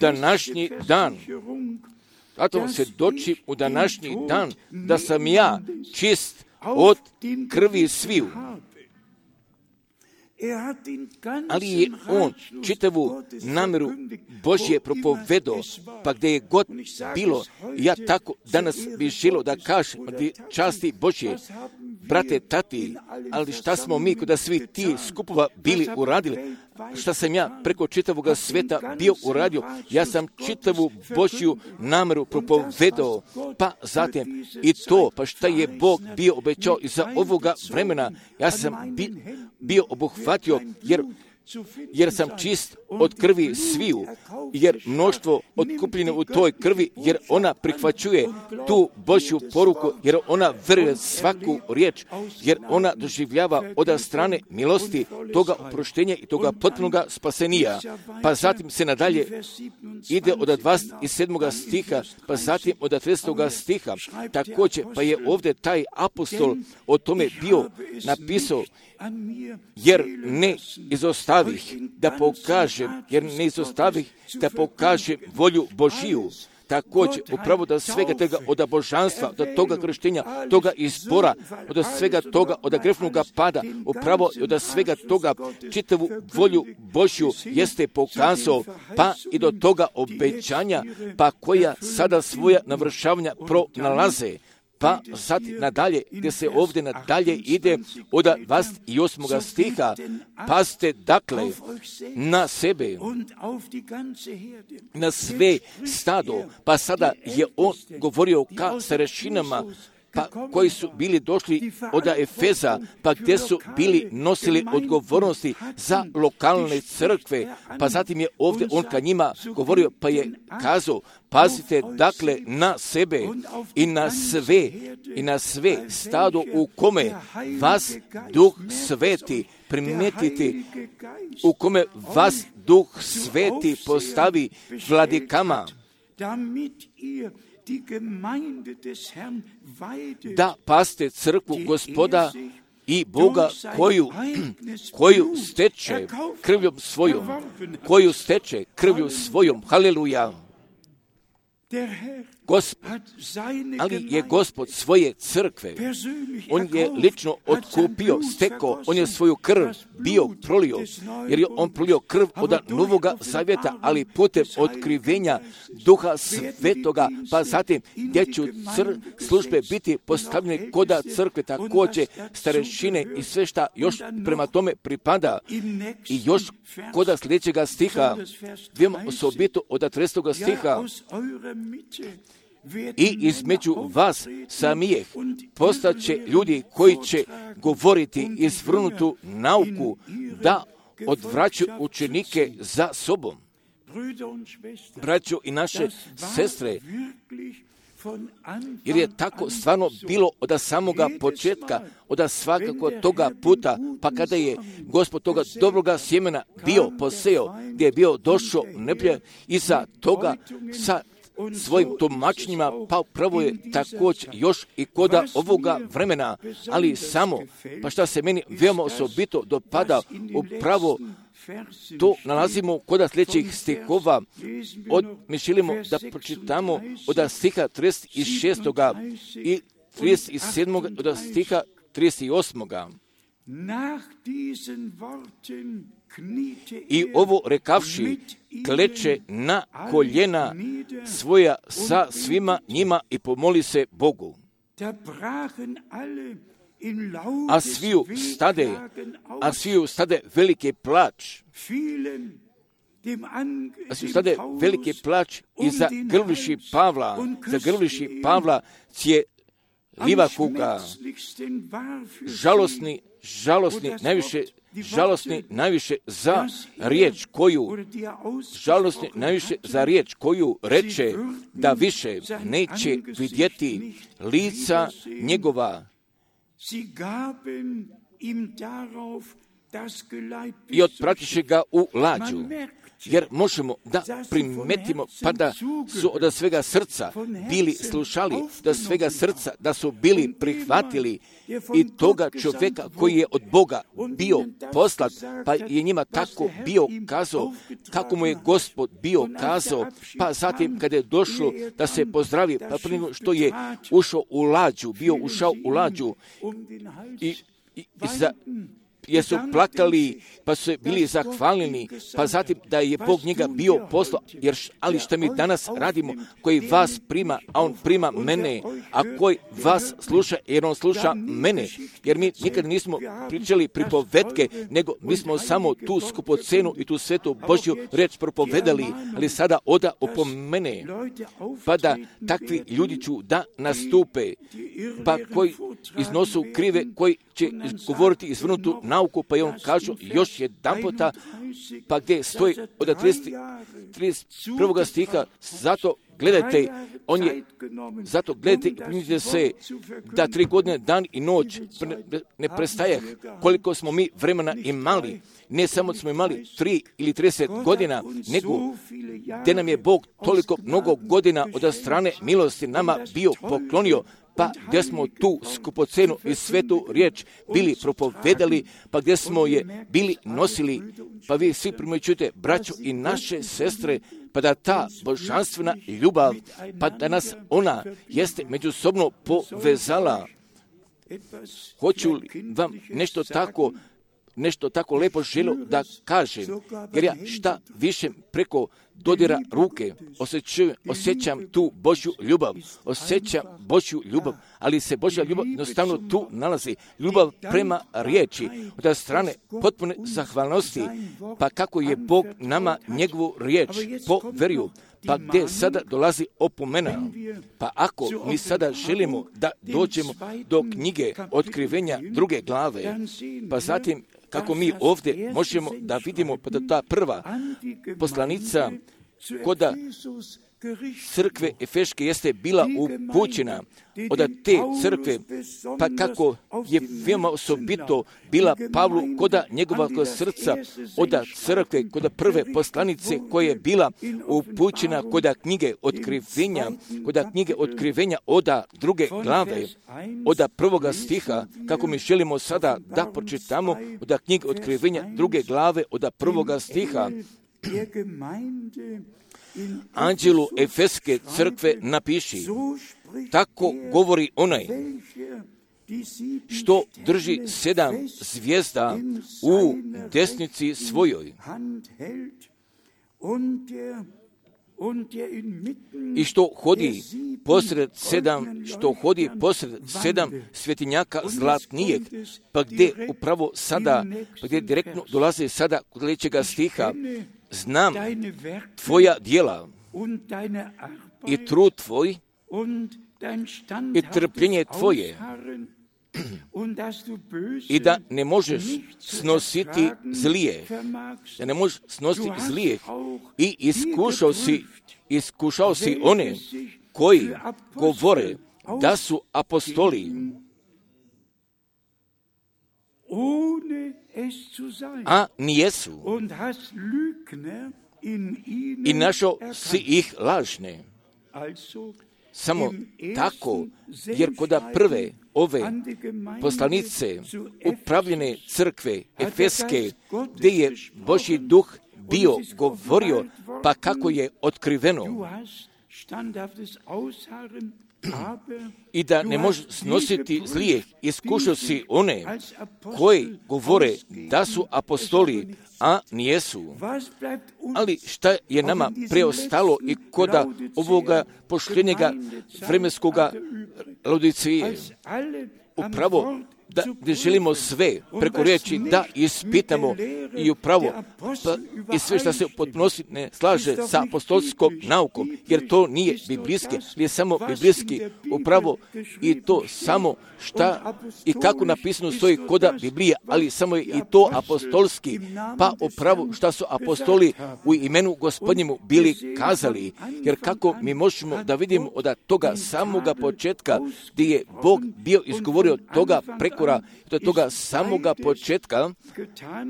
današnji dan. Zato vam svjedočim u današnji dan da sam ja čist od krvi sviju. Ali je on čitavu namjeru Božje propovedao, pa gdje je god bilo, ja tako danas bih želio da kažem časti Božje, brate, tati, ali šta smo mi kod svi ti skupova bili uradili? Šta sam ja preko čitavog sveta bio uradio? Ja sam čitavu Božju namjeru propovedao, pa zatim i to, pa šta je Bog bio obećao iza ovoga vremena, ja sam bi, bio obuhvatio, jer jer sam čist od krvi sviju, jer mnoštvo otkupljeno u toj krvi, jer ona prihvaćuje tu Božju poruku, jer ona veruje svaku riječ, jer ona doživljava od strane milosti toga oproštenja i toga potpunoga spasenija. Pa zatim se nadalje ide od dvadeset sedmoga stiha, pa zatim od tridesetoga stiha. Također, pa je ovdje taj apostol o tome bio napisao, jer ne izostavih da pokažem, jer ne izostavih da pokažem volju Božiju. Također, upravo da svega toga od božanstva, od toga krštenja, toga izbora, od svega toga, od grešnog pada, upravo od svega toga čitavu volju Božju jeste pokazao, pa i do toga obećanja, pa koja sada svoja navršavanja pronalaze. Pa sad nadalje, gdje se ovdje nadalje ide od dvadeset osmog stiha, pazite dakle na sebe, na sve stado, pa sada je on govorio ka starešinama, pa koji su bili došli od Efeza, pa gdje su bili nosili odgovornosti za lokalne crkve, pa zatim je ovdje on ka njima govorio, pa je kazao, pazite dakle na sebe i na sve, i na sve stado u kome vas Duh Sveti, primijetite, u kome vas Duh Sveti postavi vladikama, da paste crkvu Gospoda i Boga koju, koju steče krvljom svojom, koju steče krvlju svojom, haleluja. Gospod, ali je Gospod svoje crkve, on je lično otkupio, stekao, on je svoju krv bio prolio, jer je on prolio krv od Novoga Zavjeta, ali putem otkrivenja Duha Svetoga, pa zatim gdje će cr- službe biti postavljene koda crkve, također starešine i sve šta još prema tome pripada. I još koda sljedećega stiha, vidimo osobito od trestog stiha, i između vas samijeh postaće ljudi koji će govoriti izvrnutu nauku, da odvraćaju učenike za sobom. Braćo i naše sestre, jer je tako stvarno bilo od samoga početka, od svakako toga puta, pa kada je Gospod toga dobroga sjemena bio poseo, gdje je bio došao neplje iza toga sa svojim tumačenjima, pa upravo je također još i koda ovoga vremena, ali samo, pa šta se meni veoma osobito dopada, upravo to nalazimo koda sljedećih stihova. Od, mi želimo da pročitamo od stiha trideset šest i trideset sedam od stiha trideset osam. I ovo rekavši, kleče na koljena svoja sa svima njima i pomoli se Bogu. A sviju stade, a sviju stade velike plač. A sviju stade velike plač i zagrliši Pavla, zagrliši Pavla cije liva kuga, žalosni, žalosni, najviše žalosni najviše za riječ koju, žalosni najviše za riječ koju reče da više neće vidjeti lica njegova. I otpratiše ga u lađu. Jer možemo da primetimo, pa da su od svega srca bili slušali, da svega srca, da su bili prihvatili i toga čovjeka koji je od Boga bio poslat, pa je njima tako bio kazao, kako mu je Gospod bio kazao, pa zatim kada je došlo da se pozdravi, pa prije što je ušao u lađu, bio ušao u lađu i, i, i za... jer su plakali, pa su bili zahvalni, pa zatim da je Bog njega bio poslao, jer ali što mi danas radimo, koji vas prima, a on prima mene, a koji vas sluša, jer on sluša mene, jer mi nikad nismo pričali pripovetke, nego mi smo samo tu skupocenu i tu svetu Božju reč propovedali, ali sada oda opomene, pa da takvi ljudi ću da nastupe, pa koji iznosu krive, koji će govoriti izvrnutu nauku, pa je on kažu još jedan puta, pa gdje stoji od trideset prvog stiha, zato gledajte, on je, zato gledajte i primite se da tri godine, dan i noć ne prestaje, koliko smo mi vremena imali, ne samo smo imali tri ili trideset godina, nego gdje nam je Bog toliko mnogo godina od strane milosti nama bio poklonio, pa gdje smo tu skupocenu i svetu riječ bili propovedali, pa gdje smo je bili nosili, pa vi svi primjećujete, braćo i naše sestre, pa da ta božanstvena ljubav, pa da nas ona jeste međusobno povezala. Hoću li vam nešto tako, nešto tako lepo želio da kažem, jer ja šta više preko dodira ruke osjećam, osjećam tu Božju ljubav, osjećam Božju ljubav, ali se Božja ljubav jednostavno tu nalazi. Ljubav prema riječi, od strane potpune zahvalnosti, pa kako je Bog nama njegovu riječ poverio, pa gdje sada dolazi opomena. Pa ako mi sada želimo da dođemo do knjige Otkrivenja druge glave, pa zatim kako mi ovdje možemo da vidimo pa da ta prva poslanica koda crkve Efeške jeste bila upućena od te crkve, pa kako je veoma osobito bila Pavlu koda njegova srca od crkve, koda prve poslanice koja je bila upućena koda knjige Otkrivenja, koda knjige Otkrivenja od druge glave, od prvoga stiha, kako mi želimo sada da pročitamo od knjige Otkrivenja druge glave od prvoga stiha. Anđelu Efeske crkve napiši, tako govori onaj što drži sedam zvijezda u desnici svojoj i što hodi posred sedam, što hodi posred sedam svjetinjaka zlatnijeg, pa gdje upravo sada, pa gdje direktno dolaze sada kod sljedećega stiha, znam tvoja djela i trud tvoj i trpljenje tvoje i da ne možeš snositi zlije, da ne možeš snositi zlije i iskušao si, iskušao si one koji govore da su apostoli, a nijesu, i našao si ih lažne. Samo tako, jer koda prve ove poslanice upravljene crkve Efeske, gdje je Božji duh bio govorio, pa kako je otkriveno, i da ne može snositi zlijeh, iskušao si one koji govore da su apostoli, a nijesu. Ali šta je nama preostalo i koda ovoga pošljenjega vremenskoga Laodicije? Upravo da ne želimo sve preko riječi da ispitamo i upravo pa, i sve što se potpunosti ne slaže sa apostolskom naukom, jer to nije biblijski, nije samo biblijski, upravo i to samo šta i kako napisano stoji koda Biblije, ali samo je i to apostolski, pa upravo šta su apostoli u imenu Gospodnjemu bili kazali, jer kako mi možemo da vidimo od toga samoga početka gdje je Bog bio izgovorio toga preko do toga samoga početka,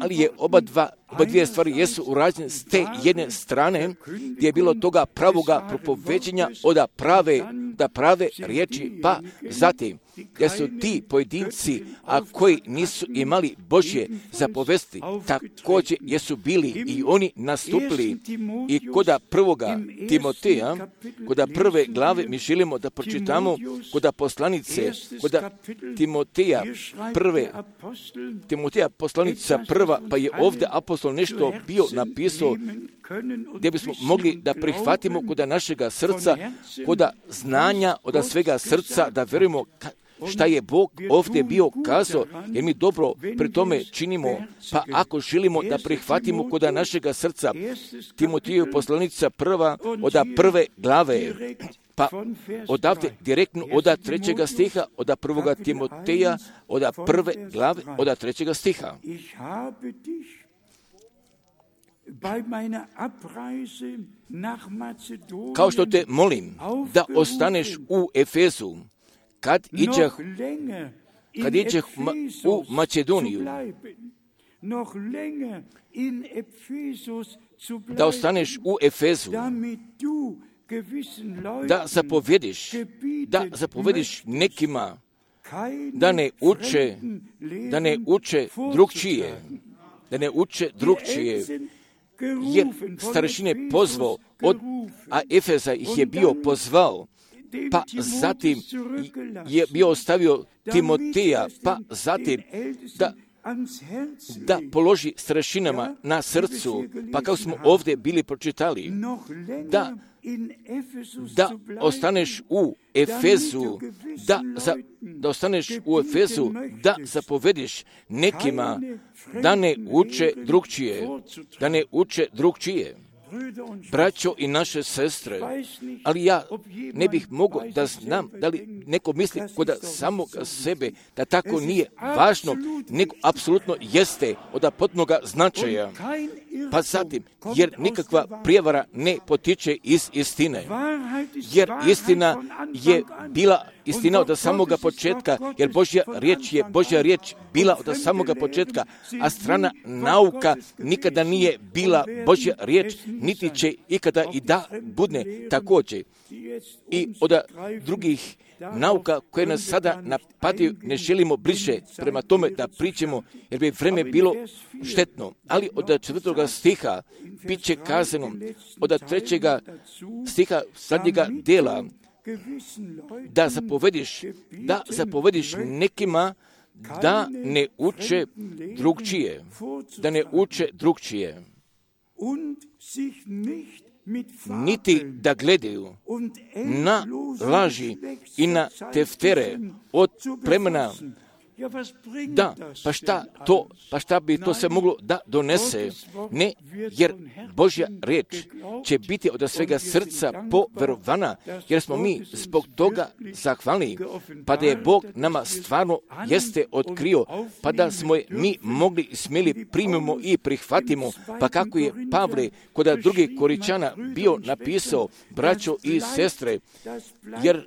ali je oba, dva, oba dvije stvari jesu urađene s te jedne strane, gdje je bilo toga pravoga propoveđenja od prave, da prave riječi, pa zatim, gdje su ti pojedinci, a koji nisu imali Božje zapovesti, također jesu bili i oni nastupili. I koda prvoga Timoteja, koda prve glave mi želimo da pročitamo, koda poslanice, koda Timoteja prve, Timoteja poslanica prva, pa je ovdje apostol nešto bio napisao, gdje bismo mogli da prihvatimo koda našega srca, koda znanja od svega srca, da vjerujemo šta je Bog ovdje bio kazao, jer mi dobro pri tome činimo, pa ako želimo da prihvatimo koda našega srca, Timoteju poslanica prva od prve glave, pa odavde direktno od trećega stiha, od prvoga Timoteja, od prve glave, od trećega stiha. Kao što te molim da ostaneš u Efezu, kad iđeh, kad iđeh ma, u Makedoniju, da ostaneš u Efezu, da zapovediš, da zapovediš nekima da ne uče, da ne uče drugčije, da ne uče drugčije, jer starešine pozvao, od, a Efeza ih je bio pozvao, pa zatim je bio ostavio Timoteja, pa zatim da da položi starešinama na srcu, pa kao smo ovdje bili pročitali, da, da ostaneš u Efezu, da, za, da ostaneš u Efezu, da zapovediš nekima da ne uče drugčije, da ne uče drugčije. Braćo i naše sestre, ali ja ne bih mogao da znam da li neko misli kod samog sebe da tako nije važno, nego apsolutno jeste od potpunoga značaja. Pa zatim, jer nikakva prijevara ne potiče iz istine, jer istina je bila istina od samoga početka, jer Božja riječ je Božja riječ bila od samoga početka, a strana nauka nikada nije bila Božja riječ, niti će ikada i da budne također. I od drugih nauka koje nas sada napadaju ne želimo bliže prema tome da pričamo, jer bi vreme bilo štetno. Ali od četvrtoga stiha bit će kazano, od trećega stiha zadnjega dela, da zapovediš, da zapovediš nekima da ne uče drugčije, da ne uče drugčije, niti da gledaju na laži i na teftere od plemena. Da, pa šta to, pa šta bi to se moglo da donese? Ne, jer Božja riječ će biti od svega srca poverovana, jer smo mi zbog toga zahvalni, pa da je Bog nama stvarno jeste otkrio, pa da smo je mi mogli smjeli primimo i prihvatimo, pa kako je Pavle kod drugih Koričana bio napisao, braćo i sestre, jer,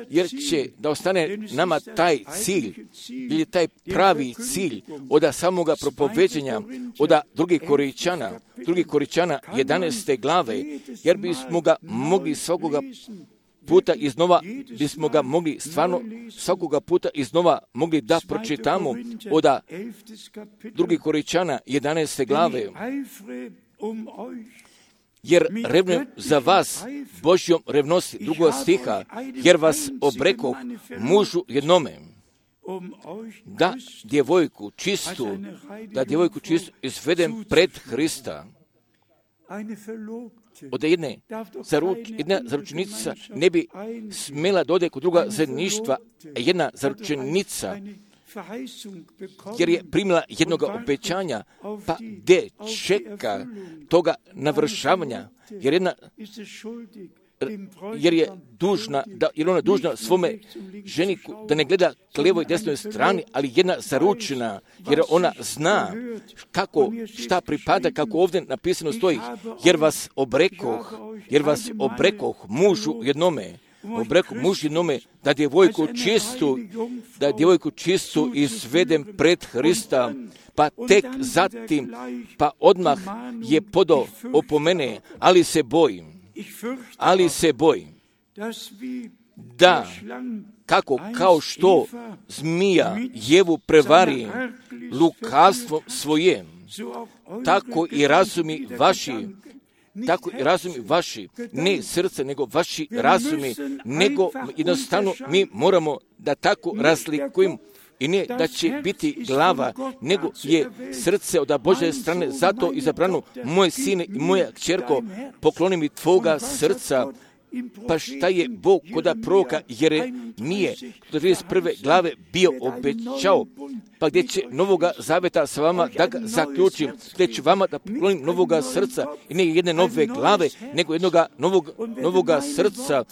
jer će da ostane nama taj cilj, ili taj pravi cilj od samoga propoveđenja od drugih Koričana, drugih Koričana jedanaeste glave, jer bismo ga mogli svakoga puta iznova, bismo ga mogli stvarno svakoga puta iznova mogli da pročitamo od drugih Koričana jedanaeste glave. Jer revnujem za vas Božjom revnosti, drugog stiha, jer vas obrekoh mužu jednome, da djevojku čistu, da djevojku čistu izvedem pred Hrista. Od jedne, zaruč, jedna zaručenica ne bi smjela dode kod druga zajedništva, jedna zaručenica, jer je primila jednog obećanja, pa gdje čeka toga navršavanja, jer jedna jer je dužna, da, jer ona dužna svome ženiku da ne gleda k lijevoj i desnoj strani, ali jedna zaručena, jer ona zna kako, šta pripada, kako ovdje napisano stoji, jer vas obrekoh, jer vas obrekoh mužu jednome, obrekoh mužu jednome, da djevojku čistu, da djevojku čistu izvedem pred Hrista, pa tek zatim, pa odmah je podao opomene, ali se bojim, ali se bojim da kako kao što zmija Jevu prevari lukavstvom svojem, tako i razumi vaši, tako i razumi vaši, ne srce, nego vaši razumi, nego jednostavno mi moramo da tako razlikujemo. I ne da će biti glava, nego je srce od Božje strane, zato izabrano, moj sine i moja kćerko, pokloni mi tvoga srca. Pa šta je Bog kod proroka Jeremije do trideset prve glave bio obećao, pa gdje će novoga zaveta sa vama da ga zaključim, gdje ću vama da poklonim novoga srca i ne jedne nove glave, nego jednoga novog, novoga srca.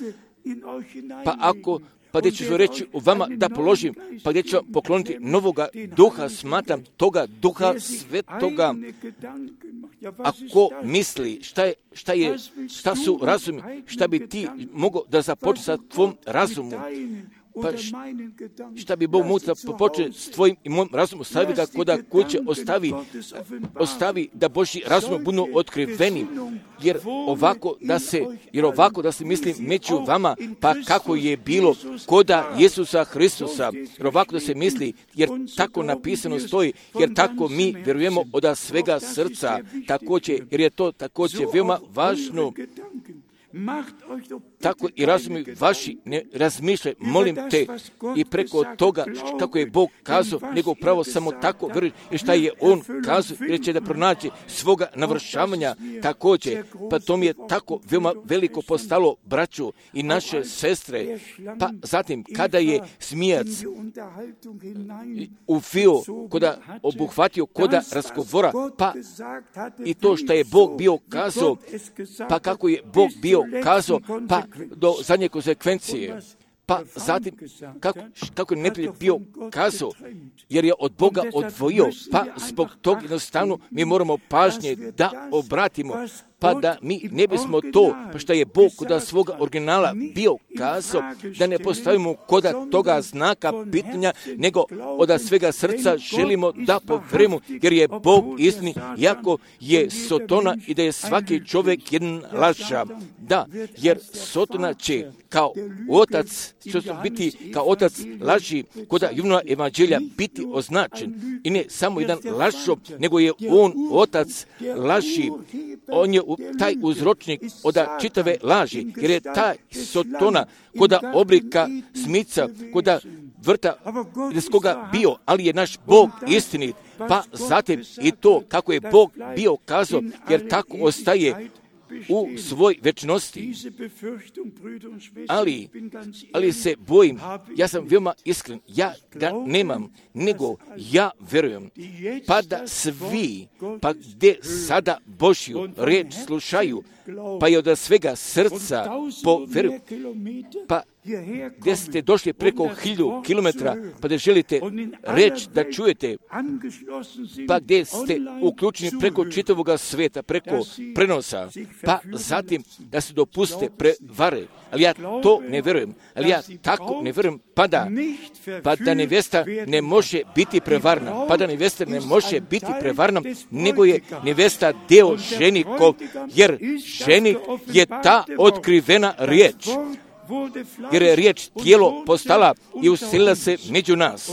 Pa ako pa gdje ću reći u vama da položim, pa gdje ću vam pokloniti novoga duha, smatram toga duha svetoga. Ako misli šta je, šta je, šta su razumi, šta bi ti mogao da započne sa tvom razumu, Pa šta bi Bog mutra popoče s tvojim i mojim razumom, ostavi ga koda kuće, ostavi, ostavi da Božji razum budu otkriveni, jer ovako da se, jer ovako da se misli među vama, pa kako je bilo koda Isusa Hristusa, jer ovako da se misli, jer tako napisano stoji, jer tako mi vjerujemo od svega srca, također, jer je to također veoma važno. Tako i razumi vaši ne razmišljaj, molim te, i preko toga kako je Bog kazao, nego pravo samo tako vjeruj i šta je On kazao, jer će da pronaći svoga navršavanja također. Pa to mi je tako veoma veliko postalo, braću i naše sestre. Pa zatim, kada je zmijac uvio, koda obuhvatio koda razgovora, pa i to što je Bog bio kazao, pa kako je Bog bio kazao, pa do zadnje konsekvencije, pa zatim kako, kako je neprijatelj bio kazao, jer je od Boga odvojio, pa zbog tog jednostavno mi moramo pažnje da obratimo, pa da mi ne bismo to, pa što je Bog koda svoga originala bio kazao, da ne postavimo koda toga znaka pitanja, nego od svega srca želimo da povjerujemo, jer je Bog istini, jako je Sotona i da je svaki čovjek jedan laža. Da, jer Sotona će kao otac, što će biti kao otac laži, koda Jovnova evanđelja biti označen. I ne samo jedan lažo, nego je on otac laži. On je taj uzročnik od čitave laži, jer je taj Sotona koda oblika smica, koda vrta iz koga bio, ali je naš Bog istinit. Pa zatim i to kako je Bog bio kazao, jer tako ostaje u svoj večnosti. Ali, ali se bojim, ja sam veoma iskren, ja ga nemam, nego ja verujem, pa da svi, pa gdje sada Božju reč slušaju, pa je od svega srca poveruju, pa gdje ste došli preko hilju kilometra, pa da želite reći da čujete, pa gdje ste uključeni preko čitavog sveta, preko prenosa, pa zatim da se dopuste prevare. Ali ja to ne verujem, ali ja tako ne verujem, pa da, pa da nevesta ne može biti prevarna, pa da nevesta ne može biti prevarna, nego je nevesta deo ženikov, jer ženik je ta otkrivena riječ. Jer je riječ tijelo postala i uselila se među nas.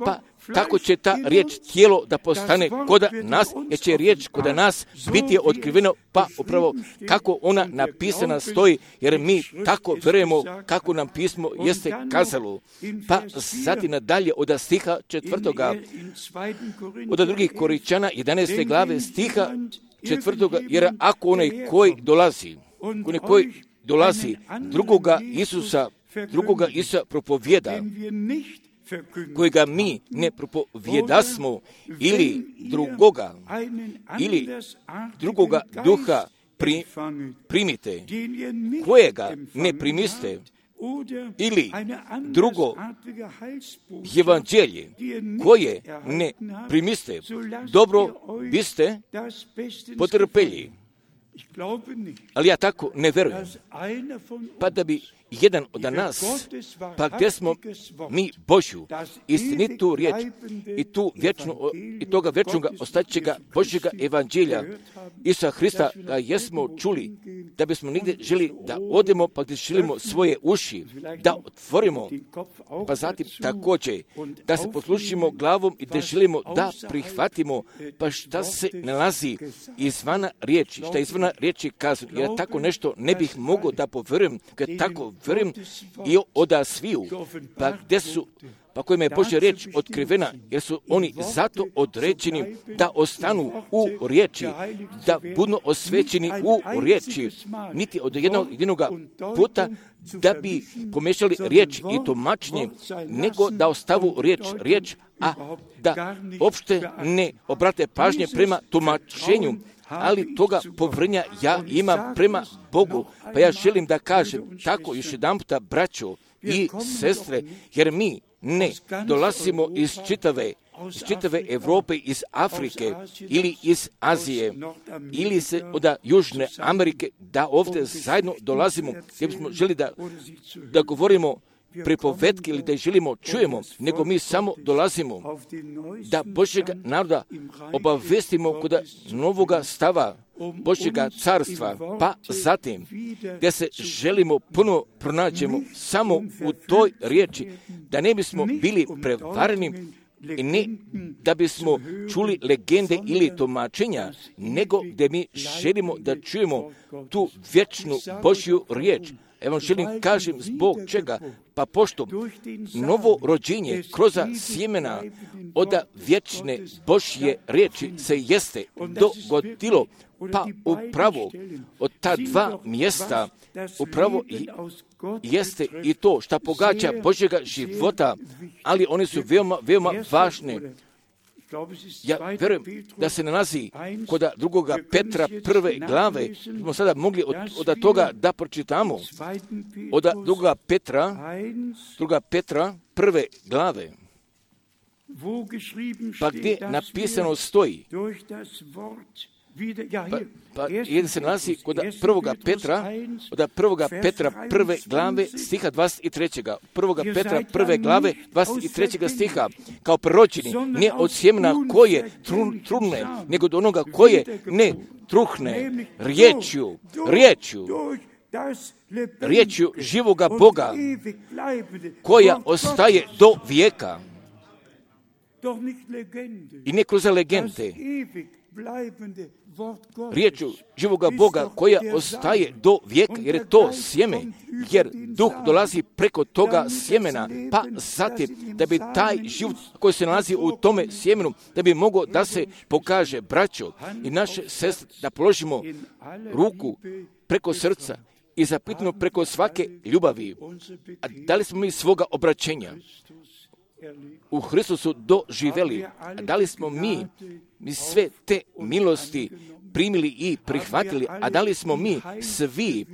Pa tako će ta riječ tijelo da postane koda nas, jer će riječ koda nas biti otkriveno, pa upravo kako ona napisana stoji, jer mi tako verujemo kako nam pismo jeste kazalo. Pa zatim nadalje od stiha četvrtoga, od drugih Koričana jedanaeste glave stiha četvrtoga, jer ako onaj koji dolazi, onaj koji dolazi drugoga Isusa, drugoga Isusa propovjeda, kojega mi ne propovjedasmo, ili drugoga, ili drugoga duha pri, primite, kojega ne primiste, ili drugo evanđelje koje ne primiste, dobro biste potrpeli. Ali ja tako ne verujem, pa da bi jedan od nas, pa gdje smo mi Božju, istinitu riječ i tu vječnu, i toga vječnoga ostaćega Božjega evanđelja Isusa Hrista ga jesmo čuli, da bismo nigdje želi da odemo, pa gdje želimo svoje uši, da otvorimo, pa zatim također da se poslušimo glavom i da želimo da prihvatimo, pa šta se nalazi izvana riječi, šta izvana riječi kazu. Ja tako nešto ne bih mogao da poverujem, kad tako verujem i oda sviju, pa gdje su, pa kojima je Božja riječ otkrivena, jer su oni zato određeni da ostanu u riječi, da budu osvećeni u riječi, niti od jednog jedinog puta da bi pomešali riječ i tumačenje, nego da ostavu riječ, riječ, a da uopšte ne obrate pažnje prema tumačenju, ali toga povjerenja ja imam prema Bogu. Pa ja želim da kažem tako još jedan puta, braćo i sestre, jer mi ne dolazimo iz čitave, iz čitave Europe, iz Afrike ili iz Azije ili se od Južne Amerike, da ovdje zajedno dolazimo, gdje bismo želi da, da govorimo pripovetke ili da želimo čujemo, nego mi samo dolazimo da Božjega naroda obavestimo kod novoga stava Božjega carstva, pa zatim da se želimo puno pronađemo samo u toj riječi, da ne bismo bili prevareni i ne da bismo čuli legende ili tumačenja, nego da mi želimo da čujemo tu vječnu Božju riječ. Evo želim kažem zbog čega, pa pošto novo rođenje kroz sjemena od vječne Božje riječi se jeste dogodilo, pa upravo od ta dva mjesta upravo jeste i to što pogađa Božjega života, ali one su veoma, veoma važne. Ja vjerujem da se nalazi kod drugoga Petra prve glave, smo sada mogli od, od toga da pročitamo, od drugoga Petra, druga Petra prve glave, pa gdje napisano stoji, Pa, pa jedan se nalazi kod prvoga Petra, od prvoga Petra prve glave stiha dvadeset tri. Prvoga Petra prve glave dvadeset tri stiha, kao proročeni, ne od sjemena koje trun, trune, nego od onoga koje ne truhne, riječju, riječju, riječju živoga Boga, koja ostaje do vijeka. I ne kroz legende, riječu živoga Boga koja ostaje do vijeka, jer je to sjeme, jer duh dolazi preko toga sjemena, pa zatim da bi taj život koji se nalazi u tome sjemenu, da bi mogao da se pokaže braćo i naše sestre, da položimo ruku preko srca i zapitamo preko svake ljubavi. A da li smo mi svoga obraćenja u Hristusu doživjeli? A da li smo mi, mi sve te milosti primili i prihvatili? A da li smo mi svi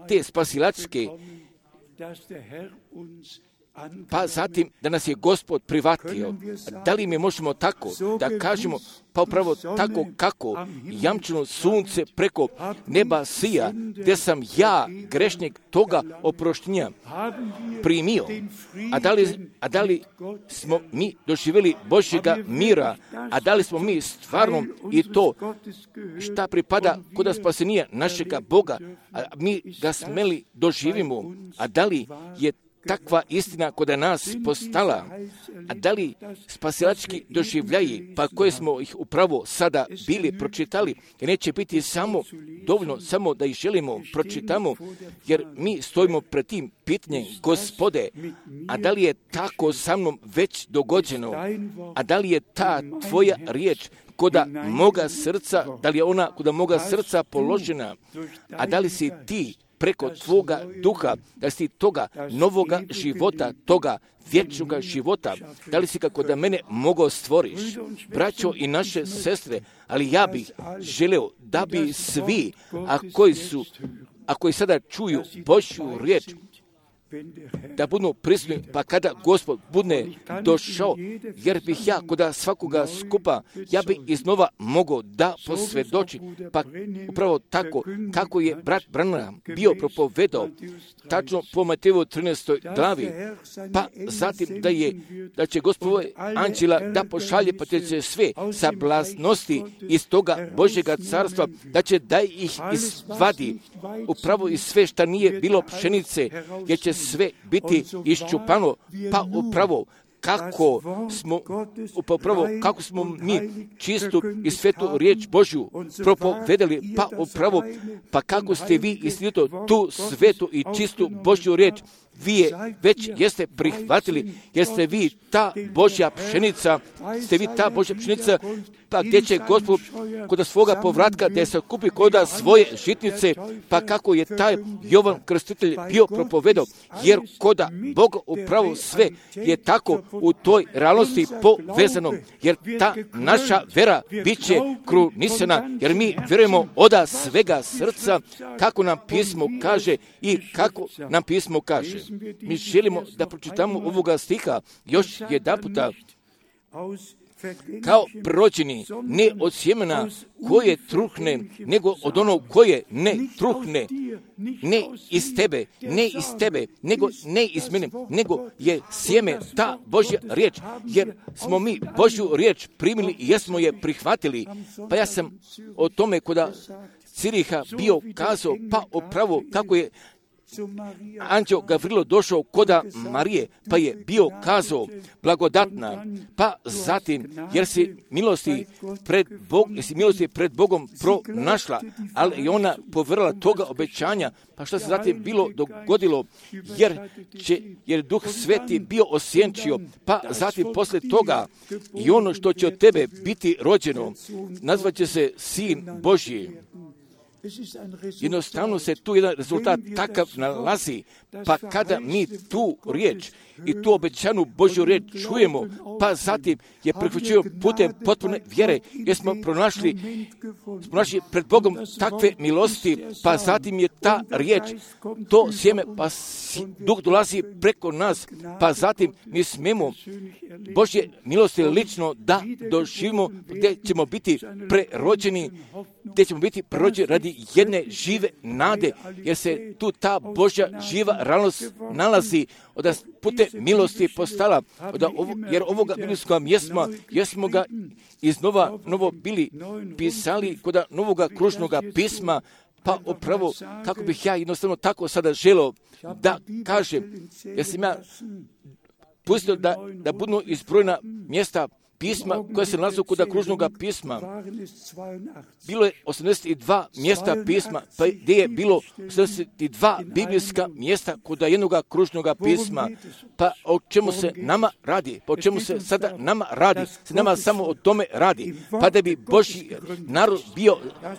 te spasilačke, pa zatim da nas je Gospod privatio? Da li mi možemo tako da kažemo, pa upravo tako kako jamčeno sunce preko neba sija, gdje sam ja, grešnik, toga oproštenja primio? A da li, a da li smo mi doživjeli Božjega mira? A da li smo mi stvarno i to šta pripada kod spasenija našega Boga, a mi ga smeli doživimo? A da li je takva istina kod nas postala? A da li spasilački doživljaji, pa koje smo ih upravo sada bili pročitali, jer neće biti samo dovoljno, samo da ih želimo pročitamo, jer mi stojimo pred tim pitanjem, Gospode, a da li je tako sa mnom već dogođeno? A da li je ta tvoja riječ koda moga srca, da li je ona koda moga srca položena? A da li si ti preko tvoga duha, da si toga novoga života, toga vječnoga života, da li si kako da mene mogao stvoriš? Braćo i naše sestre, ali ja bih želeo da bi svi, a koji su, a koji sada čuju Božju riječ, da budu prisutni, pa kada Gospod bude došao, jer bih ja kod svakoga skupa, ja bih iznova mogao da posvjedoči, pa upravo tako, kako je brat Branham bio propovedao, tačno po Mateju trinaestoj glavi, pa zatim da je, da će Gospod anđela da pošalje, pa će sve sablaznosti iz toga Božjega carstva, da će da ih izvadi, upravo iz sve šta nije bilo pšenice, jer će sve biti iščupano, pa upravo kako smo, upravo kako smo mi čistu i svetu riječ Božju propovedali, pa upravo, pa kako ste vi istinito tu svetu i čistu Božju riječ vi je već jeste prihvatili, jeste vi ta Božja pšenica, ste vi ta Božja pšenica, pa gdje će Gospod kod svoga povratka da se kupi kod svoje žitnice, pa kako je taj Jovan Krstitelj bio propovedao, jer koda Boga upravo sve je tako u toj realnosti povezano, jer ta naša vera bit će krunisana, jer mi vjerujemo oda svega srca, kako nam pismo kaže i kako nam pismo kaže. Mi želimo da pročitamo ovoga stiha još jedan puta, kao prorođeni, ne od sjemena koje truhne, nego od onog koje ne truhne, ne iz tebe, ne iz tebe, nego ne iz mene, nego je sjeme ta Božja riječ, jer smo mi Božju riječ primili i jesmo je prihvatili. Pa ja sam o tome koda Ciriha bio kazao, pa upravo kako je anđeo Gavrilo došao koda Marije, pa je bio kazao blagodatna, pa zatim, jer si milosti pred, Bog, jer si milosti pred Bogom pronašla, ali i ona povrla toga obećanja, pa što se zatim bilo dogodilo, jer, će, jer Duh Sveti bio osjenčio, pa zatim posle toga i ono što će od tebe biti rođeno, nazvaće se Sin Božji. Jednostavno se tu jedan rezultat takav nalazi, pa kada mi tu riječ i tu obećanu Božju riječ čujemo, pa zatim je prihvaćujemo putem potpune vjere, jer smo pronašli, smo našli pred Bogom takve milosti, pa zatim je ta riječ, to sjeme, pa Duh dolazi preko nas, pa zatim mi smemo Božje milosti lično da doživimo, gdje ćemo biti prerođeni, gdje ćemo biti prerođeni radi jedne žive nade, jer se tu ta Božja živa realnost nalazi, da putem milosti je postala, da ovo, jer ovoga biblijskog mjesma, jesmo ga iz nova, novo bili pisali kod novoga kružnoga pisma, pa upravo kako bih ja jednostavno tako sada želio da kažem, jer sam ja pustio da, da budu izbrojena mjesta pisma koja se nalazi kod kružnoga pisma. Bilo je osamdeset dva mjesta pisma, pa gdje je bilo osamdeset dva biblijska mjesta kod jednoga kružnoga pisma. Pa o čemu se nama radi? Pa o čemu se sada nama radi? Se nama samo o tome radi. Pa da bi Božji narod bio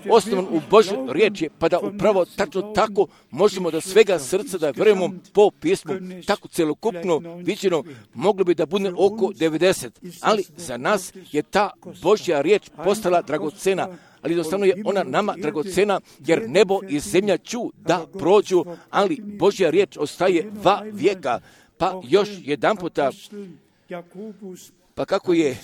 osnovan u Božjoj riječi, pa da upravo tačno tako možemo da svega srca da vjerujemo po pismu. Tako celokupno viđeno moglo bi da bude oko devedeset. Ali za nas je ta Božja riječ postala dragocena, ali jednostavno je ona nama dragocena, jer nebo i zemlja ću da prođu, ali Božja riječ ostaje va vijeka. Pa još jedan puta, pa kako je,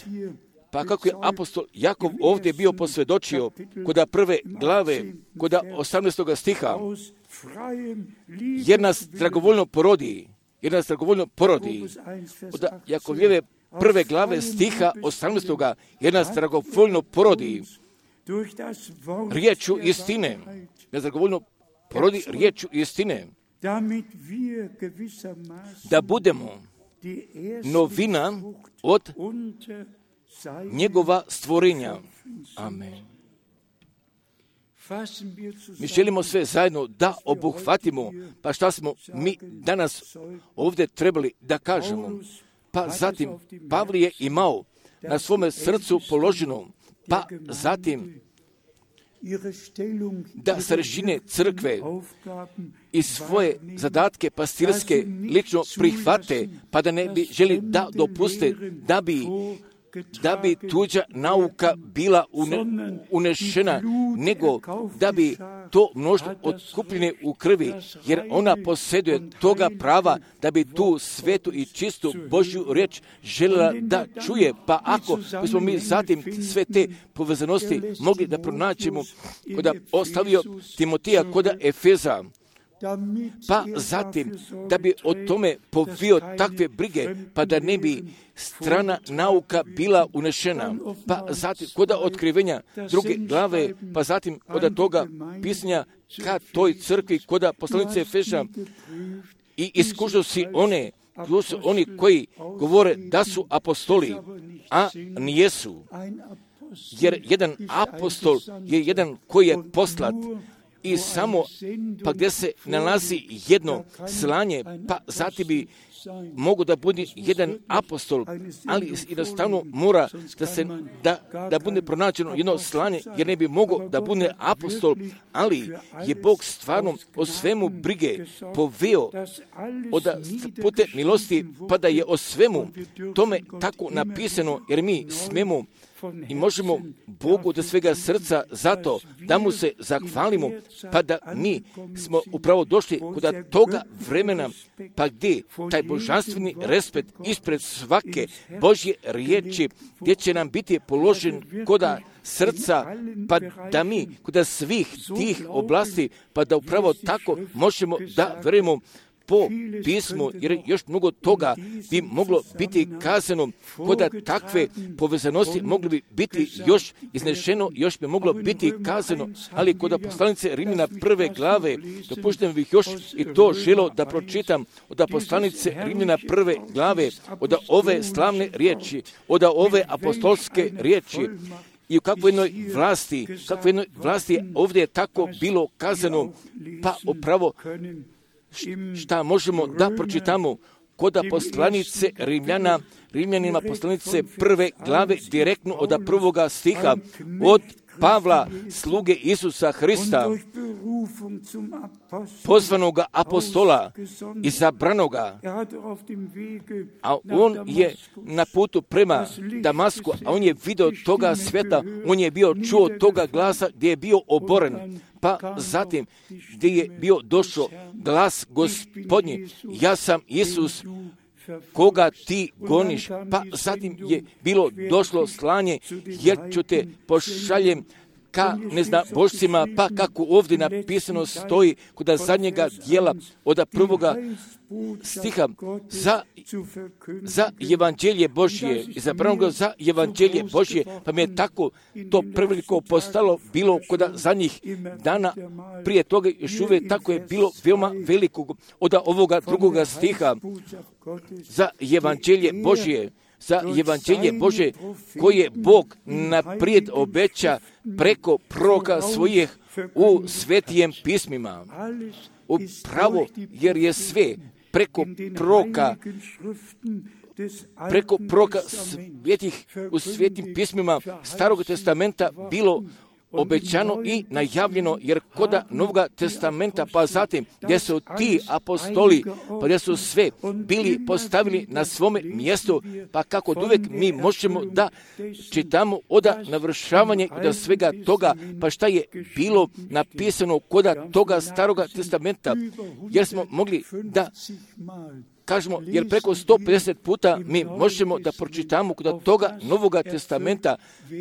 pa kako je apostol Jakov ovdje bio posvjedočio kod prve glave, kod osamnaestog stiha, jer nas dragovoljno porodi, jer nas dragovoljno porodi, od Jakovljeve prve glave stiha osamnaestog jer nas dragovoljno porodi riječu istine, nas dragovoljno porodi riječu istine, da budemo novina od njegova stvorenja. Amen. Mi želimo sve zajedno da obuhvatimo, pa šta smo mi danas ovdje trebali da kažemo. Pa zatim Pavle je imao na svome srcu položeno, pa zatim da starešine crkve i svoje zadatke pastirske lično prihvate, pa da ne bi želi da dopuste da bi da bi tuđa nauka bila une, unešena, nego da bi to mnoštvo otkupljene u krvi, jer ona posjeduje toga prava da bi tu svetu i čistu Božju riječ željela da čuje. Pa ako bismo mi zatim sve te povezanosti mogli da pronaćemo koda ostavio Timotija koda Efeza, pa zatim da bi o tome povio takve brige, pa da ne bi strana nauka bila unešena, pa zatim kod otkrivenja druge glave, pa zatim kod toga pisanja ka toj crkvi, kod poslanice Efeža, i iskušao si one, su oni koji govore da su apostoli, a nijesu, jer jedan apostol je jedan koji je poslat, i samo, pa gdje se nalazi jedno slanje, pa zatim bi mogu da bude jedan apostol, ali jednostavno mora da se da, da bude pronađeno jedno slanje, jer ne bi mogao da bude apostol, ali je Bog stvarno o svemu brige poveo od putem milosti, pa da je o svemu tome tako napisano, jer mi smemo i možemo Bogu do svega srca zato da mu se zahvalimo, pa da mi smo upravo došli kod toga vremena, pa gdje taj božanstveni respekt ispred svake Božje riječi, gdje će nam biti položen koda srca, pa da mi kod svih tih oblasti, pa da upravo tako možemo da verujemo po pismu, jer još mnogo toga bi moglo biti kazano, koda takve povezanosti mogli bi biti još iznešeno, još bi moglo biti kazano, ali kod poslanice Rimljana prve glave, dopuštam bih još i to želo da pročitam od poslanice Rimljana prve glave, od ove slavne riječi, od ove apostolske riječi, i u kakvoj jednoj vlasti, kakvoj jednoj vlasti ovdje je tako bilo kazano, pa upravo šta možemo da pročitamo kod poslanice Rimljana, Rimljanima poslanice prve glave, direktno od prvoga stiha, od Pavla, sluge Isusa Hrista, pozvanoga apostola, izabranoga, a on je na putu prema Damasku, a on je vidio toga sveta, on je bio čuo toga glasa gdje je bio oboren, pa zatim gdje je bio došao glas Gospodnji, ja sam Isus koga ti goniš, pa zatim je bilo došlo slanje, jer ću te pošaljem ka, ne znam, božcima, pa kako ovdje napisano stoji kod zadnjega dijela od prvoga stiha za, za evanđelje Božje, izabranog za evanđelje Božje, pa mi je tako to preveliko postalo bilo kod zadnjih dana, prije toga još uvijek tako je bilo veoma velikog od ovoga drugoga stiha za evanđelje Božje, za evanđelje Božje koje Bog naprijed obeća preko proroka svojih u svetijem pismima. Upravo jer je sve preko proroka, preko proroka svetih u svetim pismima Starog testamenta bilo obećano i najavljeno, jer koda Novoga testamenta, pa zatim gdje su ti apostoli, pa gdje su sve bili postavili na svome mjestu, pa kako uvijek mi možemo da čitamo od navršavanja od svega toga, pa šta je bilo napisano koda toga Staroga testamenta, jer smo mogli da kažemo, jer preko sto pedeset puta mi možemo da pročitamo kod toga Novoga testamenta,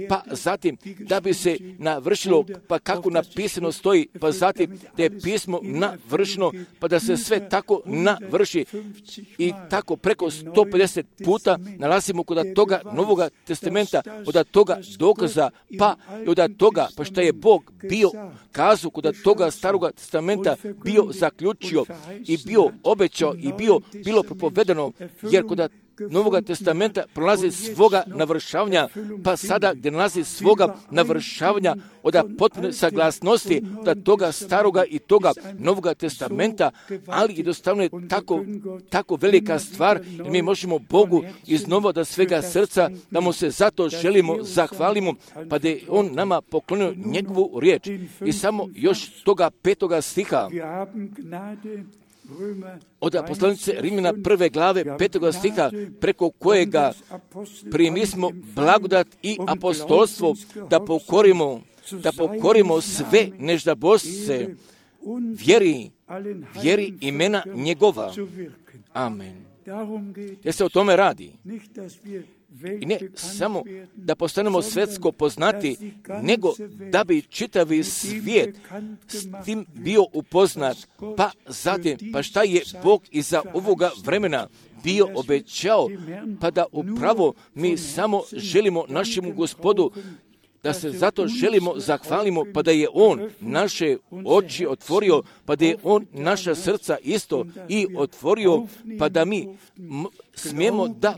pa zatim da bi se navršilo, pa kako napisano stoji, pa zatim da je pismo navršeno, pa da se sve tako navrši. I tako preko sto pedeset puta nalazimo kod toga Novoga testamenta, od toga dokaza, pa i od toga, pa što je Bog bio kazao kod toga Staroga testamenta, bio zaključio i bio obećao i bio bilo propovedano, jer kod Novoga testamenta prolazi svoga navršavanja, pa sada gdje nalazi svoga navršavanja od potpune saglasnosti od toga staroga i toga Novoga testamenta, ali jednostavno je tako, tako velika stvar, jer mi možemo Bogu iznova da svega srca, da mu se zato želimo, zahvalimo, pa da je on nama poklonio njegovu riječ. I samo još toga petoga stiha, od poslanice Rimljana prve glave petoga stiha, preko kojega primismo blagodat i apostolstvo da pokorimo, da pokorimo sve neždabošce vjeri, vjeri imena njegova. Amen. Jer se o tome radi. I ne samo da postanemo svjetsko poznati, nego da bi čitavi svijet s tim bio upoznat, pa zatim, pa šta je Bog iza ovoga vremena bio obećao, pa da upravo mi samo želimo našemu Gospodu, da se zato želimo, zahvalimo, pa da je On naše oči otvorio, pa da je On naša srca isto i otvorio, pa da mi m- smijemo da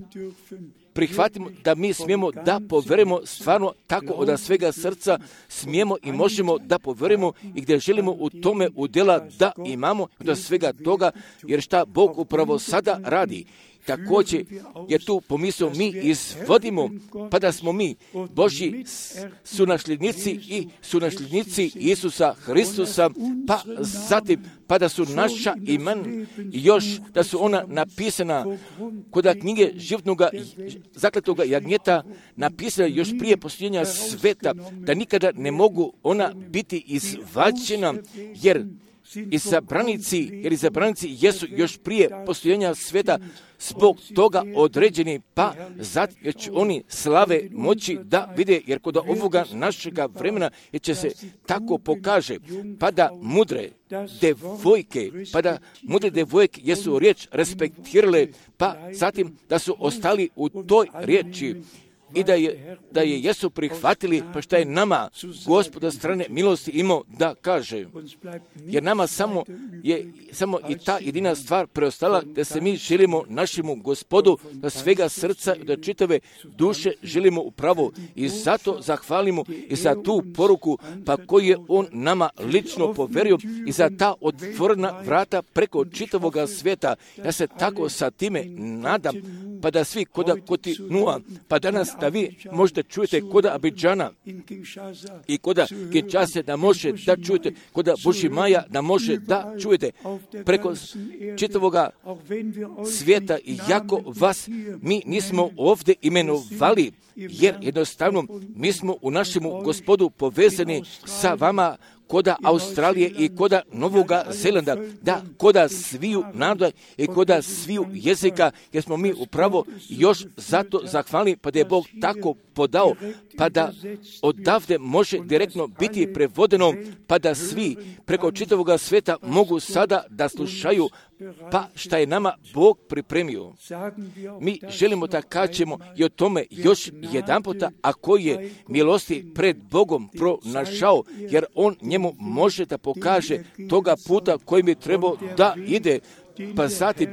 prihvatimo, da mi smijemo da poverujemo stvarno tako od svega srca, smijemo i možemo da poverujemo i gdje želimo u tome udjela da imamo od svega toga, jer šta Bog upravo sada radi. također je tu pomisao mi izvodimo, pa da smo mi Božji sunasljednici i sunasljednici Isusa Hristusa, pa zatim pa da su naša imena još, da su ona napisana kod knjige životnoga zakletoga jagnjeta, napisana još prije postojenja sveta, da nikada ne mogu ona biti izvađena, jer izabranici, jer izabranici jesu još prije postojenja sveta zbog toga određeni, pa zato jer će oni slave moći da vide, jer kod ovoga našega vremena jer će se tako pokaže, pa da mudre devojke, pa da mudre devojke jesu riječ respektirale, pa zatim da su ostali u toj riječi, i da je, da je jesu prihvatili, pa šta je nama Gospoda strane milosti imao da kaže. Jer nama samo je samo i ta jedina stvar preostala, da se mi želimo našemu Gospodu da svega srca, da čitave duše želimo upravo, i zato zahvalimo i za tu poruku, pa koju je On nama lično poverio, i za ta otvorena vrata preko čitavoga svijeta. Ja se tako sa time nadam, pa da svi koda kontinua, pa danas da vi možete čujete koda Abidžana i koda Kinshase da može da čujete, koda Bušimaja da može da čujete preko čitavoga svijeta, i jako vas mi nismo ovdje imenovali, jer jednostavno mi smo u našemu Gospodu povezani sa vama koda Australije i koda Novoga Zelanda, da koda sviju naroda i koda sviju jezika, jer smo mi upravo još zato zahvalni, pa da je Bog tako podao, pa da odavde može direktno biti prevodeno, pa da svi preko čitavoga svijeta mogu sada da slušaju, pa šta je nama Bog pripremio. Mi želimo da kažemo i o tome još jedan puta, a koji je milosti pred Bogom pronašao, jer On njemu može da pokaže toga puta kojim je trebao da ide, pa zatim,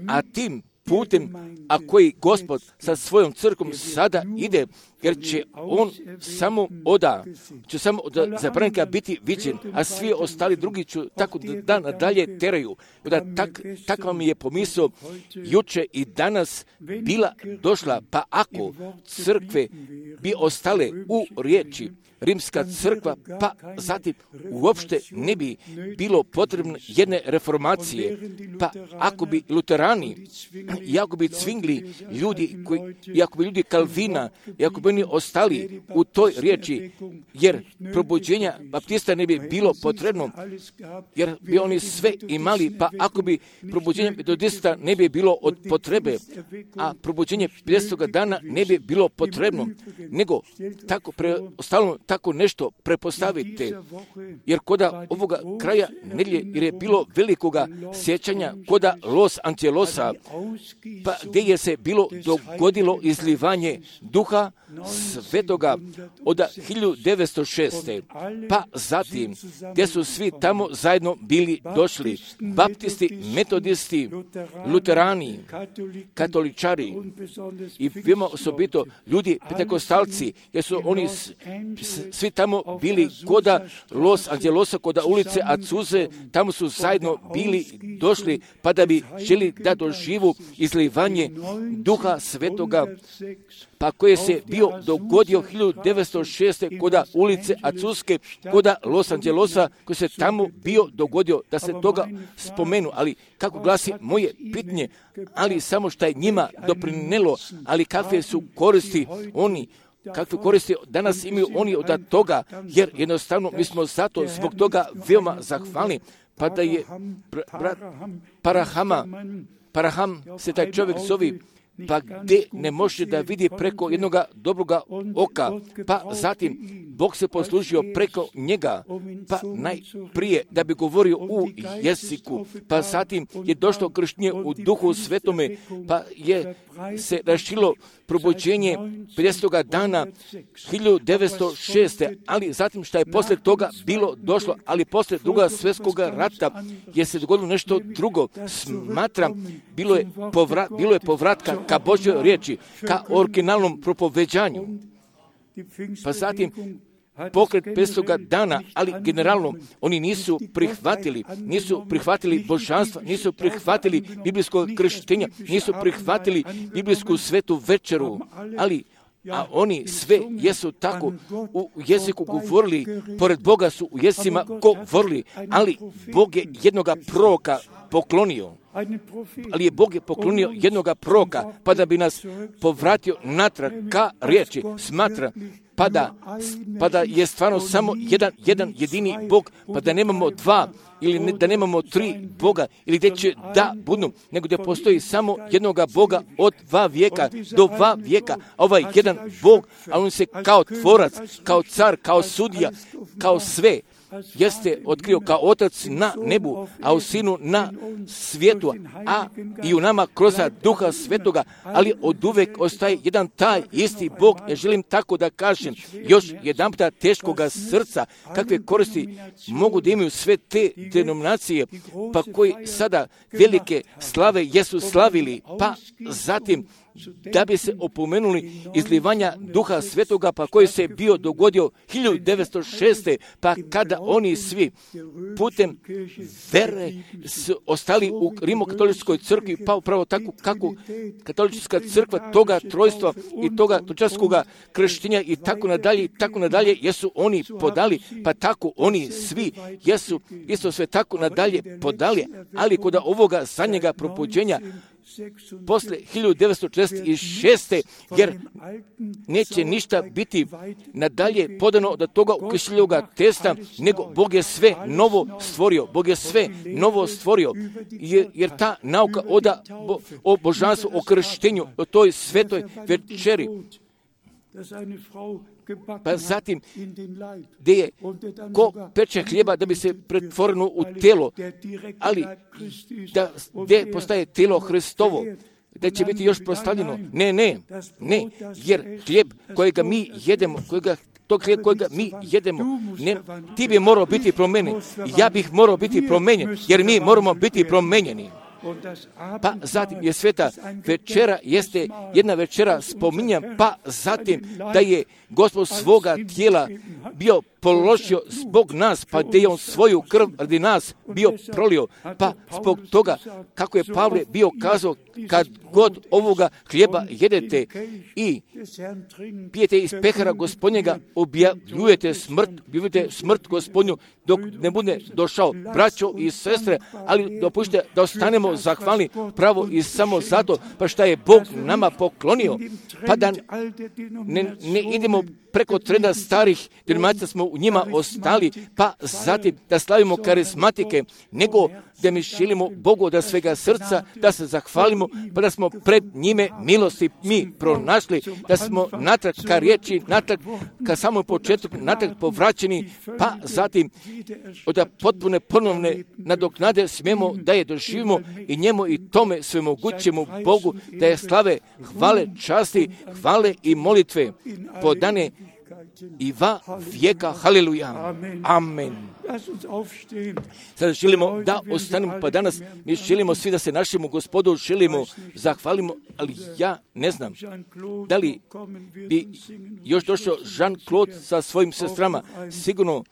a tim putem, a koji Gospod sa svojom crkvom sada ide, jer će On samo oda, će samo od zabranika biti viđen, a svi ostali drugi će tako da nadalje teraju. Da tak, takva mi je pomisao juče i danas bila došla, pa ako crkve bi ostale u riječi, Rimska crkva, pa zatim uopšte ne bi bilo potrebno jedne reformacije, pa ako bi luterani, i ako bi cvingli ljudi, koji, i ako bi ljudi Kalvina, i ako bi oni ostali u toj riječi, jer probuđenja baptista ne bi bilo potrebno, jer bi oni sve imali, pa ako bi probuđenja metodista ne bi bilo od potrebe, a probuđenje pedesetog dana ne bi bilo potrebno, nego tako preostalo tako nešto prepostavite, jer koda ovoga kraja nedjelje, jer je bilo velikoga sjećanja koda Los Angelosa, pa gdje je se bilo dogodilo izlivanje duha svetoga od hiljadu devetsto šeste. Pa zatim, gdje su svi tamo zajedno bili došli, baptisti, metodisti, luterani, katoličari i vima osobito ljudi pentekostalci, jer su oni s, s, svi tamo bili koda Los Angelosa, koda ulice Azuze, tamo su zajedno bili došli, pa da bi želi da doživu izlivanje duha svetoga, pa koje se bio dogodio hiljadu devetsto šeste koda ulice Azuske, koda Los Angelosa, koji se tamo bio dogodio, da se toga spomenu. Ali kako glasi moje pitanje, ali samo što je njima doprinelo, ali kakve su koristi oni, kakve koristi danas imaju oni od toga, jer jednostavno mi smo zato zbog toga veoma zahvalni, pa da je brat Parahama, Paraham se taj čovjek zove, pa gdje ne može da vidi preko jednoga dobroga oka, pa zatim Bog se poslužio preko njega, pa najprije da bi govorio u jeziku, pa zatim je došlo krštenje u duhu svetome, pa je se rašilo probuđenje pedesetog dana hiljadu devetsto šeste. Ali zatim što je poslije toga bilo došlo, ali poslije druga svjetskog rata je se dogodilo nešto drugo. Smatram, bilo je, povra, bilo je povratka ka Božjoj riječi, ka originalnom propoveđanju. Pa zatim pokret petstoga dana, ali generalno oni nisu prihvatili, nisu prihvatili božanstva, nisu prihvatili biblijskog krštenja, nisu prihvatili biblijsku svetu večeru, ali a oni sve jesu tako u jeziku govorili, pored Boga su u jezicima govorili, ali Bog je jednoga proroka poklonio. Ali je Bog je poklonio jednoga proroka, pa da bi nas povratio natrag ka riječi, smatra, pa da, pa da je stvarno samo jedan, jedan jedini Bog, pa da nemamo dva, ili ne, da nemamo tri Boga, ili gdje će da budu, nego da postoji samo jednoga Boga od dva vijeka do dva vijeka. A ovaj jedan Bog, a on se kao tvorac, kao car, kao sudija, kao sve, jeste otkrio kao otac na nebu, a u sinu na svijetu, a i u nama kroz duha svetoga, ali od uvek ostaje jedan taj isti Bog. Ja želim tako da kažem, još jedan puta teškoga srca, kakve koristi mogu da imaju sve te denominacije, pa koji sada velike slave jesu slavili, pa zatim da bi se opomenuli izlivanja duha svetoga, pa koji se bio dogodio hiljadu devetsto šeste. pa kada oni svi putem vere su ostali u rimokatoličkoj crkvi, pa upravo tako kako katolička crkva toga trojstva i toga točarskoga krštenja i tako nadalje, i tako nadalje, jesu oni podali, pa tako oni svi jesu isto sve tako nadalje podali, ali kod ovoga zadnjega probuđenja posle hiljadu devetsto četrdeset šeste. jer neće ništa biti nadalje podano od toga ukrštljivoga testa, nego Bog je sve novo stvorio. Bog je sve novo stvorio, jer, jer ta nauka oda bo, o božanstvu, o krštenju, o toj svetoj večeri, pa zatim gdje je ko peče hljeba da bi se pretvoreno u telo, ali da gdje postaje telo Hristovo, da će biti još proslavljeno. Ne, ne, ne, jer hljeb kojega mi jedemo, kojega tog hljeba kojega mi jedemo, ne, ti bi morao biti promenjen, ja bih morao biti promenjen, jer mi moramo biti promenjeni. Pa zatim je sveta večera, jeste jedna večera spominja, pa zatim da je Gospod svoga tijela bio položio zbog nas, pa da je on svoju krv radi nas bio prolio, pa zbog toga, kako je Pavle bio kazao, kad god ovoga hljeba jedete i pijete iz pehara Gospodnjega, objavljujete smrt, objavljujete smrt Gospodnju dok ne bude došao. Braćo i sestre, ali dopustite da ostanemo zahvalni pravo i samo zato, pa šta je Bog nama poklonio, pa da ne, ne idemo preko trenda starih denominacija, smo u njima ostali, pa zatim da slavimo karizmatike, nego da mi želimo Bogu da svega srca, da se zahvalimo, pa da smo pred njime milosti mi pronašli, da smo natrag ka riječi, natrag ka samom početku, natrag povraćeni, pa zatim od potpune ponovne nadoknade smijemo da je doživimo i njemu i tome svemogućemu Bogu, da je slave, hvale, časti, hvale i molitve podane i va vijeka. Haleluja. Amen. Sada želimo da ostanemo, pa danas mi želimo svi da se našemu Gospodu želimo zahvalimo, ali ja ne znam da li bi još došao Jean-Claude sa svojim sestrama. Sigurno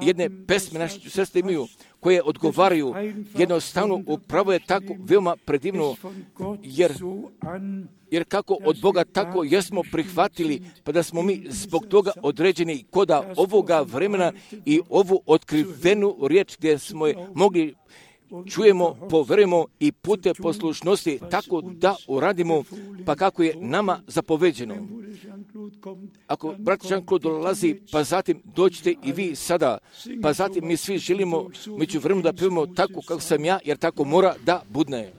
jedne pesme naše sestre imaju koje odgovaraju jednostavno, upravo je tako veoma predivno, jer Jer kako od Boga, tako jesmo prihvatili, pa da smo mi zbog toga određeni koda ovoga vremena i ovu otkrivenu riječ gdje smo je mogli čujemo, poverujemo i pute poslušnosti tako da uradimo, pa kako je nama zapoveđeno. Ako brat Jean-Claude dolazi, pa zatim dođite i vi sada, pa zatim mi svi želimo među vremenu da pevamo tako kako sam ja, jer tako mora da budne.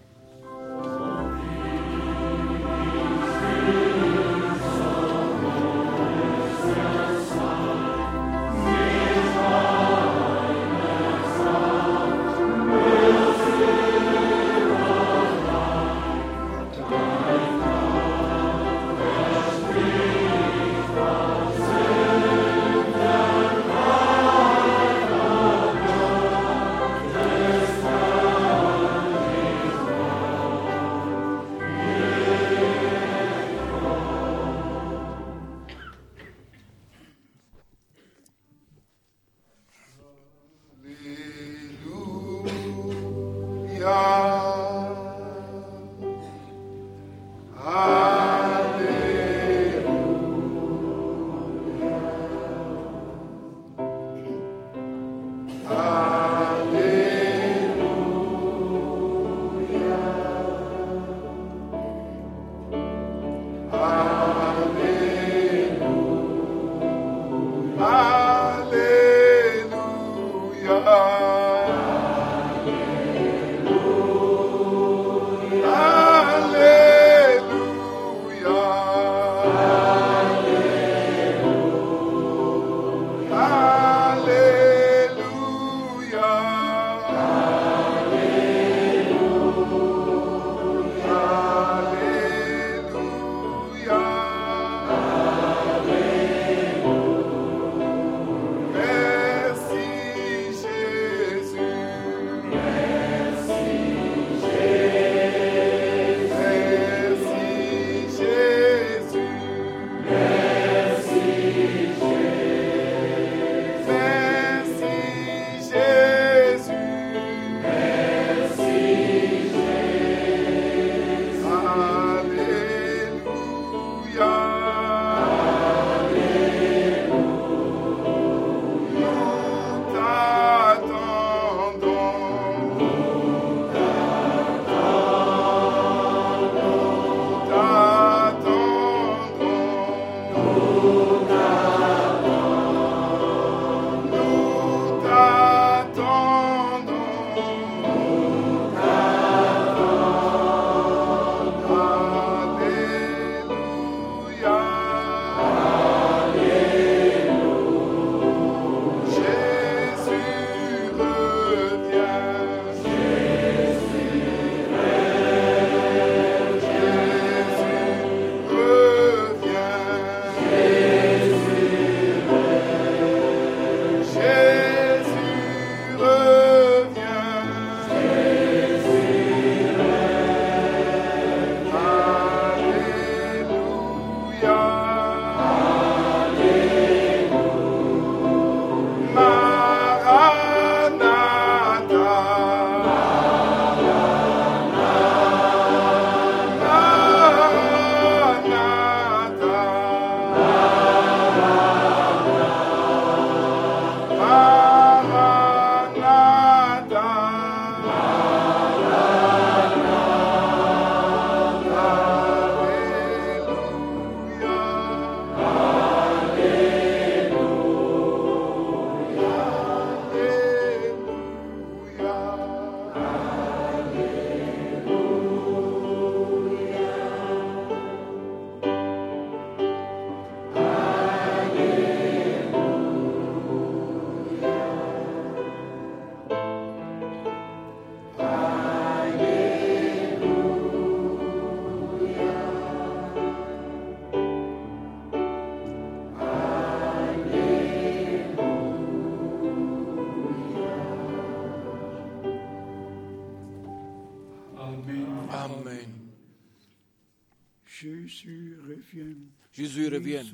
Jésus revient.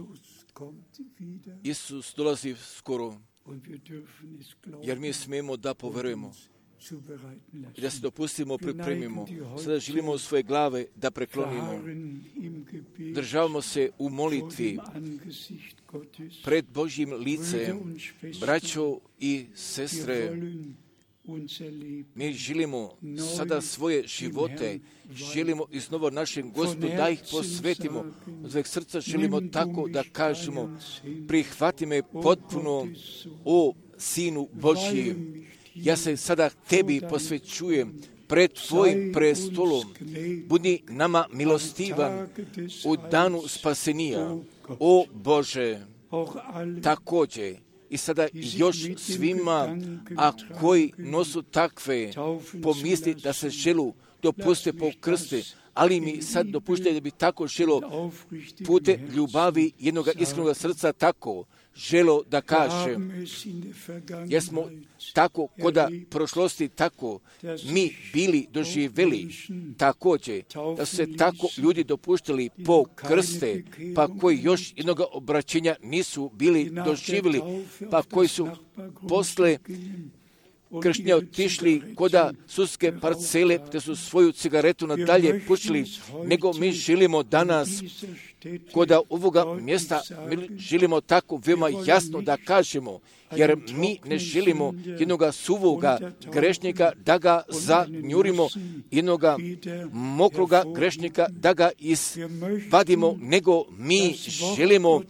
Isus dolazi skoro. Jer mi smijemo da poverujemo i da se dopustimo, pripremimo. Sada želimo svoje glave da preklonimo. Državamo se u molitvi pred Božjim licem. Braćo i sestre, mi želimo sada svoje živote, želimo iznova našem Gospodu da ih posvetimo. Od sveg srca želimo tako da kažemo: prihvati me potpuno, o Sinu Božji. Ja se sada tebi posvećujem pred tvojim prestolom. Budi nama milostivan u danu spasenija, o Bože. Također i sada još svima, a koji nosu takve pomisli da se želu dopuste po krste, ali mi sad dopuštaj da bi tako želo pute ljubavi jednog iskrenog srca tako želo da kaže. Jer smo tako koda prošlosti tako mi bili doživjeli također da su se tako ljudi dopuštali po krste, pa koji još jednog obraćenja nisu bili doživjeli, pa koji su posle kršćani otišli koda sudske parcele, te su svoju cigaretu nadalje pušili, nego mi želimo danas koda ovoga mjesta, mi želimo tako veoma jasno da kažemo, jer mi ne želimo jednoga suvoga grešnika da ga zanjurimo, jednoga mokroga grešnika da ga izvadimo, nego mi želimo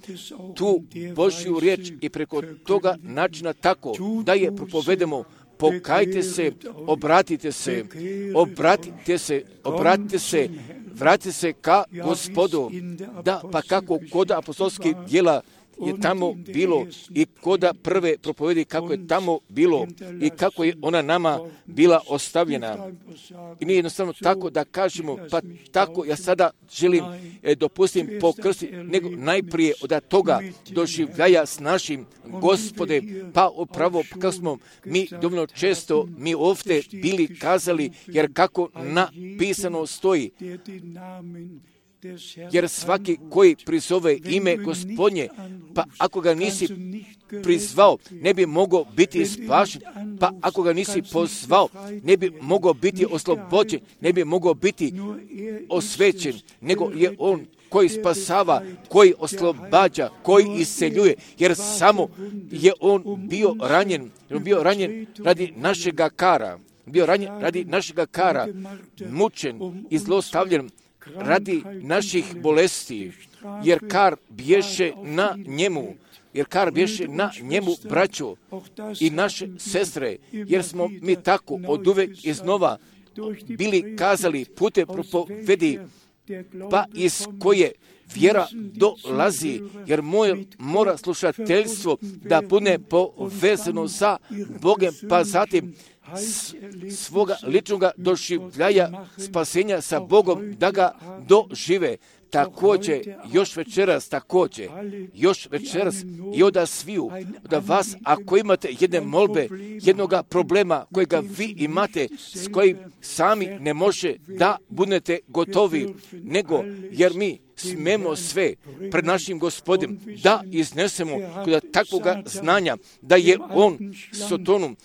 tu Božju riječ i preko toga načina tako da je propovedemo. Pokajte se, obratite se, obratite se, obratite se, vratite se ka Gospodu, da pa kako kod apostolskih djela je tamo bilo i koda prve propovedi kako je tamo bilo i kako je ona nama bila ostavljena. I nije jednostavno tako da kažemo, pa tako ja sada želim e, dopustim pokrsti, nego najprije od toga doživljaja s našim Gospode, pa upravo kako smo mi dovoljno često mi ovdje bili kazali, jer kako napisano stoji, jer svaki koji prizove ime Gospodnje, pa ako ga nisi prizvao, ne bi mogao biti spašen, pa ako ga nisi pozvao, ne bi mogao biti oslobođen, ne bi mogao biti osvećen, nego je on koji spasava, koji oslobađa, koji isceljuje, jer samo je on bio ranjen, bio ranjen radi našega kara, bio ranjen radi našega kara, mučen i zlostavljan radi naših bolesti, jer kar bješe na njemu, jer kar bješe na njemu, braćo i naše sestre, jer smo mi tako od uvek iznova bili kazali pute propovedi, pa iz koje vjera dolazi, jer moje mora slušateljstvo da bude povezano sa Bogem, pa zatim svoga ličnog doživljaja spasenja sa Bogom da ga dožive. Također, još večeras, također, još večeras i od sviju, da vas, ako imate jedne molbe, jednoga problema kojega vi imate, s kojim sami ne može da budete gotovi, nego jer mi smemo sve pred našim Gospodem da iznesemo kod takvoga znanja da je on Sotonom,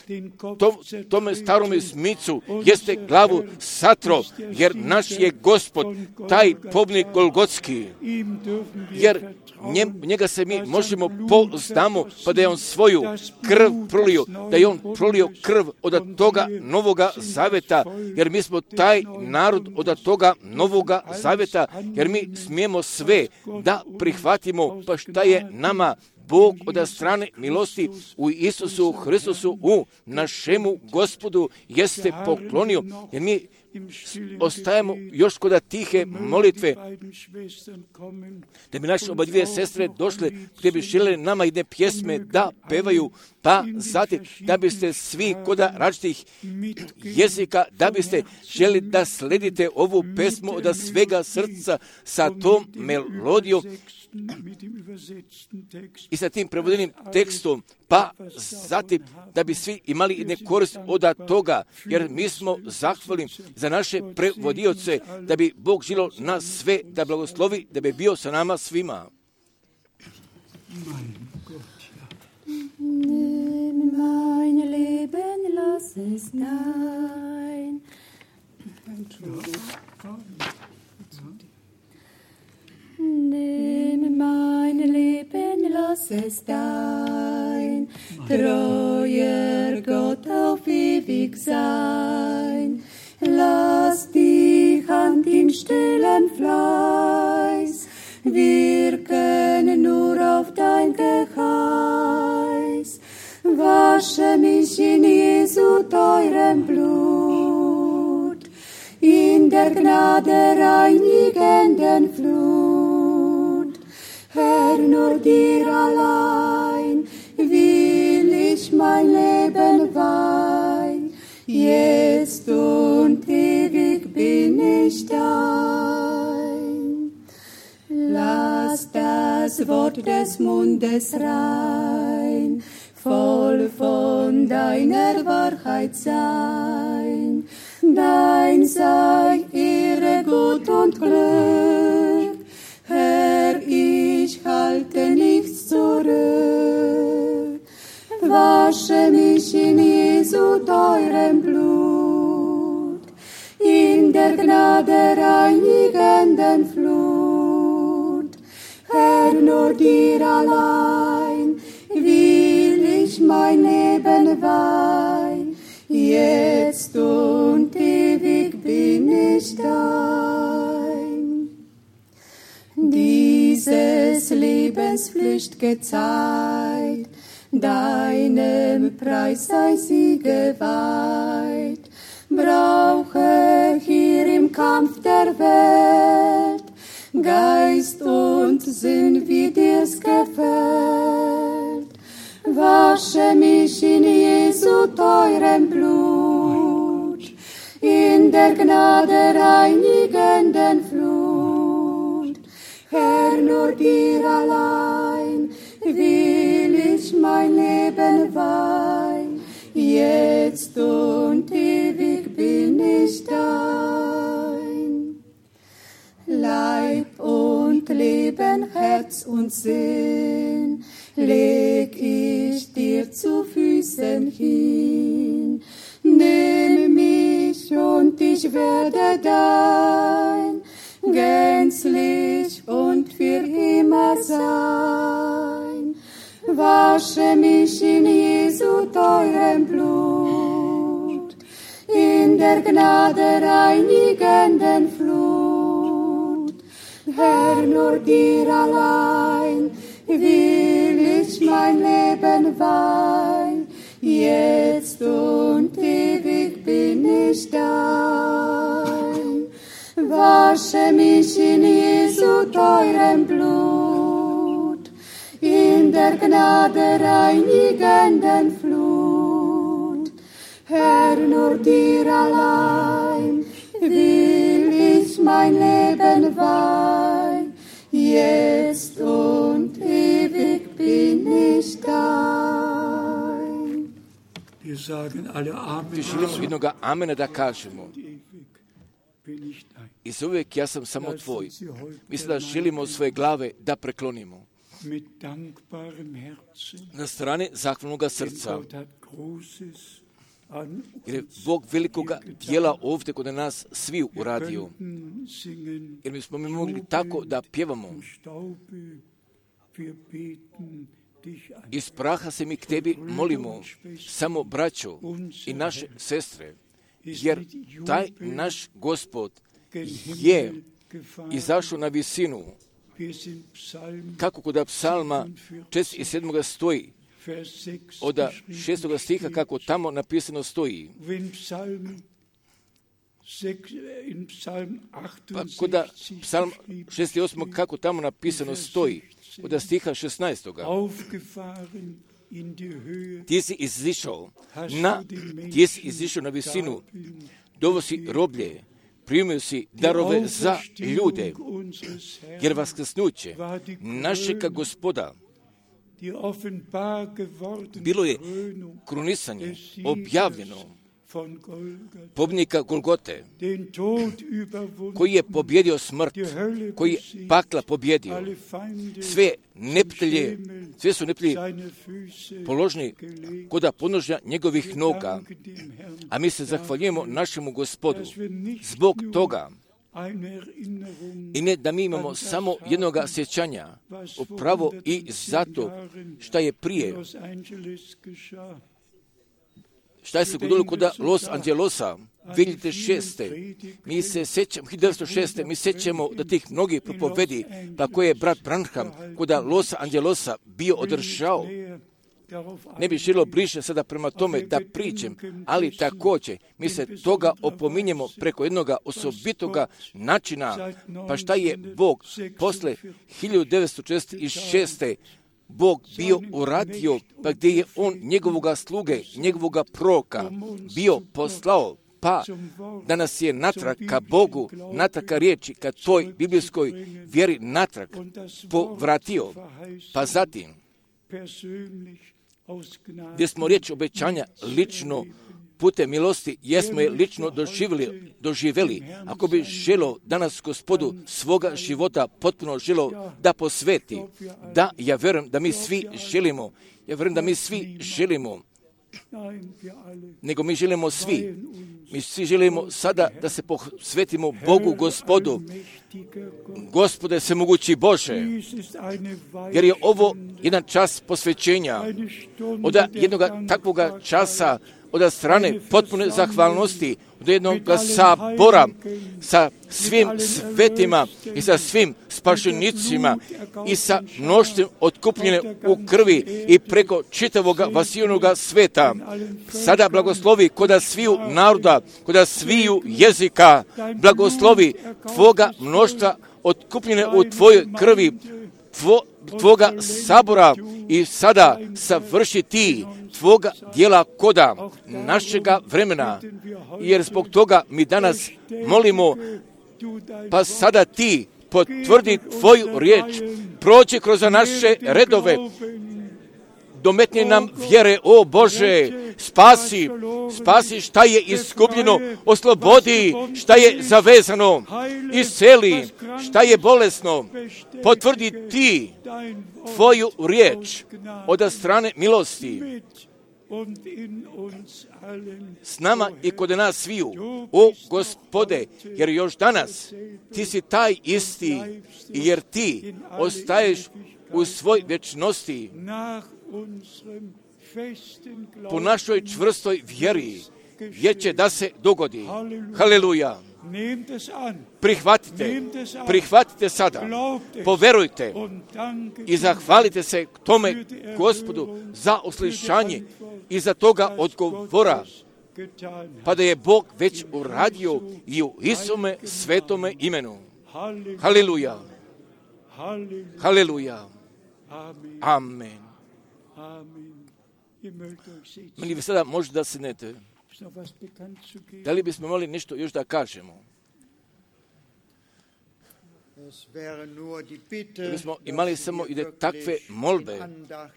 to, tome starome smicu jeste glavu satro, jer naš je Gospod taj pobnik Golgotski, jer njem, njega se mi možemo poznamo, pa da je on svoju krv prolio, da je on prolio krv od toga novoga zaveta, jer mi smo taj narod od toga novoga zaveta, jer mi smijemo sve da prihvatimo, pa šta je nama Bog od strane milosti u Isusu Hristusu, u našemu Gospodu jeste poklonio, jer mi ostajemo još kod tihe molitve, da bi naše oba dvije sestre došle, gdje bi željeli nama jedne pjesme da pevaju, pa zatim da biste svi kod različitih jezika, da biste želi da sledite ovu pesmu od svega srca sa tom melodijom i sa tim prevodenim tekstom, pa zatim da bi svi imali jedne korist od toga, jer mi smo zahvalni za naše prevodioce, da bi Bog želio nas sve da blagoslovi, da bi bio sa nama svima. Nimm mein Leben, lass es dein. Nimm mein Leben, lass es dein, treuer Gott auf ewig sein. Lass die Hand in stillem Fleiß wirken nur auf dein Geheiß. Wasche mich in Jesu teurem Blut, in der Gnade reinigenden Flut. Herr, nur dir allein will ich mein Leben weihen. Jetzt und ewig bin ich dein. Lass das Wort des Mundes rein, voll von deiner Wahrheit sein. Dein sei Ehre, Gut und Glück. Herr, ich halte nichts zurück. Wasche mich in Jesu der Gnade reinigenden Flut. Herr, nur dir allein will ich mein Leben weihen, jetzt und ewig bin ich dein. Dieses Lebenspflicht gezeigt, deinem Preis sei sie geweiht. Brauche hier im Kampf der Welt Geist und Sinn, wie dir's gefällt. Wasche mich in Jesu teurem Blut, in der Gnade reinigenden Flut. Herr, nur dir allein will ich mein Leben weihen, jetzt und ewig bin ich dein. Leib und Leben, Herz und Sinn leg ich dir zu Füßen hin. Nimm mich und ich werde dein, gänzlich und für immer sein. Wasche mich in Jesu teurem Blut, in der Gnade reinigenden Flut. Herr, nur dir allein will ich mein Leben weihen, jetzt und ewig bin ich dein. Wasche mich in Jesu teurem Blut, in der Gnade reinigenden Flut. Herr, nur dir allein will ich mein Leben weihen, jetzt und ewig bin ich dein. Wir sagen alle Amen. Ti želimo jednoga amena da kažemo. I za uvijek ja sam samo tvoj. Mislim da želimo svoje glave da preklonimo. Na strane zahvalnoga srca. Jer je Bog velikoga dijela ovdje kod nas svi uradio. Jer mi smo mi mogli tako da pjevamo. Iz praha se mi k tebi molimo, samo braćo i naše sestre, jer taj naš Gospod je izašao na visinu, kako kod psalma četrdeset sedam stoji, od šestog stiha kako tamo napisano stoji. Pa kod psalm šezdeset osam kako tamo napisano stoji, od stiha šesnaestog. Ti si izišao na, ti si izišao na visinu, dovosi roblje, primio si darove za ljude, jer vaskrsnuće našega Gospoda bilo je krunisanje objavljeno pobjednika Golgote, koji je pobjedio smrt, koji je pakla pobjedio. Sve neprijatelje, sve su neprijatelji položeni kod podnožja njegovih noga, a mi se zahvaljujemo našemu Gospodu zbog toga. I ne da mi imamo samo jednog sjećanja, upravo i zato šta je prije, šta je se godilo kod Los Angelosa, dvije hiljade šeste. Mi se sećamo, hiljadu devetsto šeste. mi sećamo da tih mnogih propovedi, pa koje je brat Branham kod Los Angelosa bio održao. Ne bi želio bliže sada prema tome da pričam, ali također mi se toga opominjemo preko jednog osobitoga načina. Pa šta je Bog posle hiljadu devetsto četrdeset šeste. Bog bio uradio, pa gdje je on njegovoga sluge, njegovoga proroka bio poslao, pa da nas je natrag ka Bogu, natrag ka riječi, ka toj biblijskoj vjeri natrag povratio. Pa zatim, gdje smo riječ obećanja lično putem milosti, jesmo je lično doživjeli, doživjeli. Ako bi želo danas Gospodu svoga života potpuno želo da posveti, da ja vjerujem da mi svi želimo, ja vjerujem da mi svi želimo nego mi želimo svi. Mi svi želimo sada da se posvetimo Bogu Gospodu. Gospode svemogući Bože, jer je ovo jedan čas posvećenja. Od jednog takvoga časa, od strane potpune zahvalnosti, od jednog sabora sa svim svetima i sa svim spašenicima i sa mnoštvom otkupljene u krvi i preko čitavog vasijonog sveta. Sada blagoslovi koda sviju naroda, koda sviju jezika, blagoslovi Tvoga mnoštva otkupljene u Tvojoj krvi, tvo, Tvoga sabora i sada savrši Ti Tvoga dijela koda našega vremena, jer zbog toga mi danas molimo, pa sada Ti potvrdi Tvoju riječ, prođi kroz naše redove, dometni nam vjere, o Bože, spasi, spasi šta je iskupljeno, oslobodi šta je zavezano, isceli šta je bolesno, potvrdi Ti Tvoju riječ od strane milosti s nama i kod nas sviju, o Gospode, jer još danas Ti si taj isti, jer Ti ostaješ u svoj vječnosti po našoj čvrstoj vjeri, vječe da se dogodi. Haleluja. Prihvatite, prihvatite sada, poverujte i zahvalite se tome Gospodu za uslišanje i za toga odgovora, pa da je Bog već uradio i u Isume svetome imenu. Haleluja. Haleluja. Amen. Meni vi sada možete da sednete. Da li bismo mogli nešto još da kažemo? Da bismo imali samo i da takve molbe,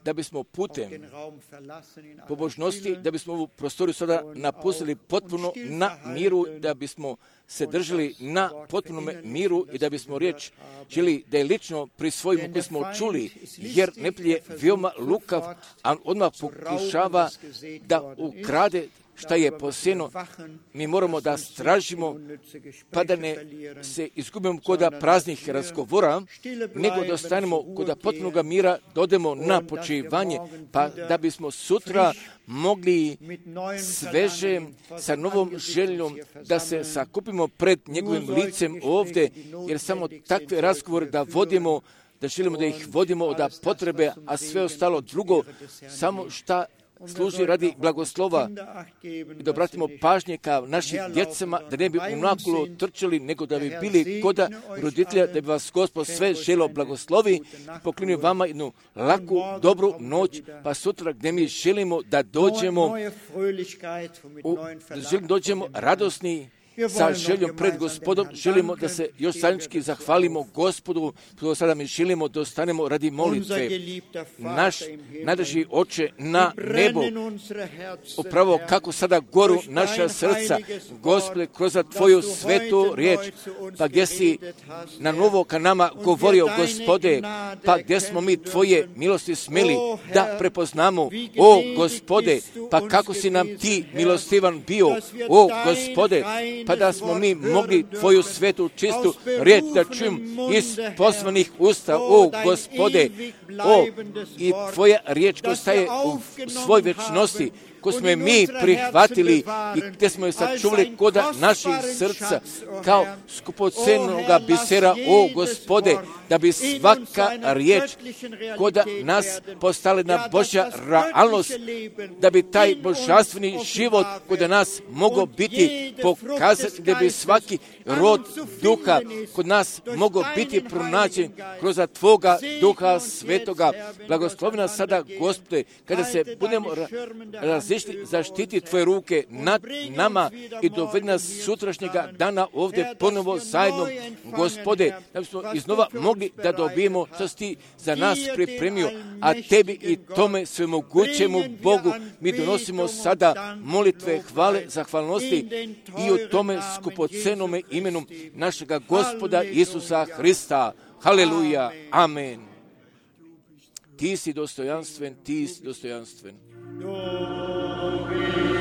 da bismo putem pobožnosti, da bismo ovu prostoriju sada napustili potpuno na miru, da bismo se držali na potpunom miru i da bismo riječ želi da je lično prisvojimo koji smo čuli, jer neprijatelj je veoma lukav, a odmah pokušava da ukrade šta je posjeno. Mi moramo da stražimo, pa da ne se izgubimo koda praznih razgovora, nego da ostanemo koda potpunog mira, da odemo na počivanje, pa da bismo sutra mogli sveže, sa novom željom, da se sakupimo pred njegovim licem ovdje, jer samo takve razgovore da vodimo, da želimo da ih vodimo od potrebe, a sve ostalo drugo, samo šta služi radi blagoslova i da obratimo pažnje kao našim djecama, da ne bi unakolo trčali, nego da bi bili koda roditelja, da bi vas Gospod sve želo blagoslovi i poklonio vama jednu laku, dobru noć, pa sutra gdje mi želimo da dođemo, u, da želimo dođemo radosni, sa željom pred Gospodom, želimo da se još zajednički zahvalimo Gospodu, što sada mi želimo da ostanemo radi molitve. Naš najdraži Oče na nebu, upravo kako sada goru naša srca, Gospode, kroz Tvoju svetu riječ, pa gdje si na novo ka nama govorio, Gospode, pa gdje smo mi Tvoje milosti smeli da prepoznamo, o Gospode, pa kako si nam Ti milostivan bio, o Gospode, pa da smo mi mogli Tvoju svetu čistu riječ da čujemo iz poslanih usta, o Gospode, o i Tvoja riječ koja staje u svoj vječnosti, koju smo mi prihvatili i gdje smo je sačuvali koda naših srca kao skupocenoga bisera, o Gospode, da bi svaka riječ koda nas postala na Božja realnost, da bi taj božanstveni život kod nas mogao biti pokazati, da bi svaki rod duha kod nas mogao biti pronađen kroz Tvoga duha svetoga. Blagoslovi nas sada, Gospode, kada se budemo različiti, zaštiti Tvoje ruke nad nama i dovedi nas sutrašnjega dana ovdje ponovo zajedno, Gospode, da bismo iznova mogli da dobijemo što si Ti za nas pripremio, a Tebi i tome svemogućemu Bogu mi donosimo sada molitve, hvale, zahvalnosti i u tome skupocenome imenu našega Gospoda Isusa Hrista. Haleluja, amen. Ti si dostojanstven, Ti si dostojanstven. Domini.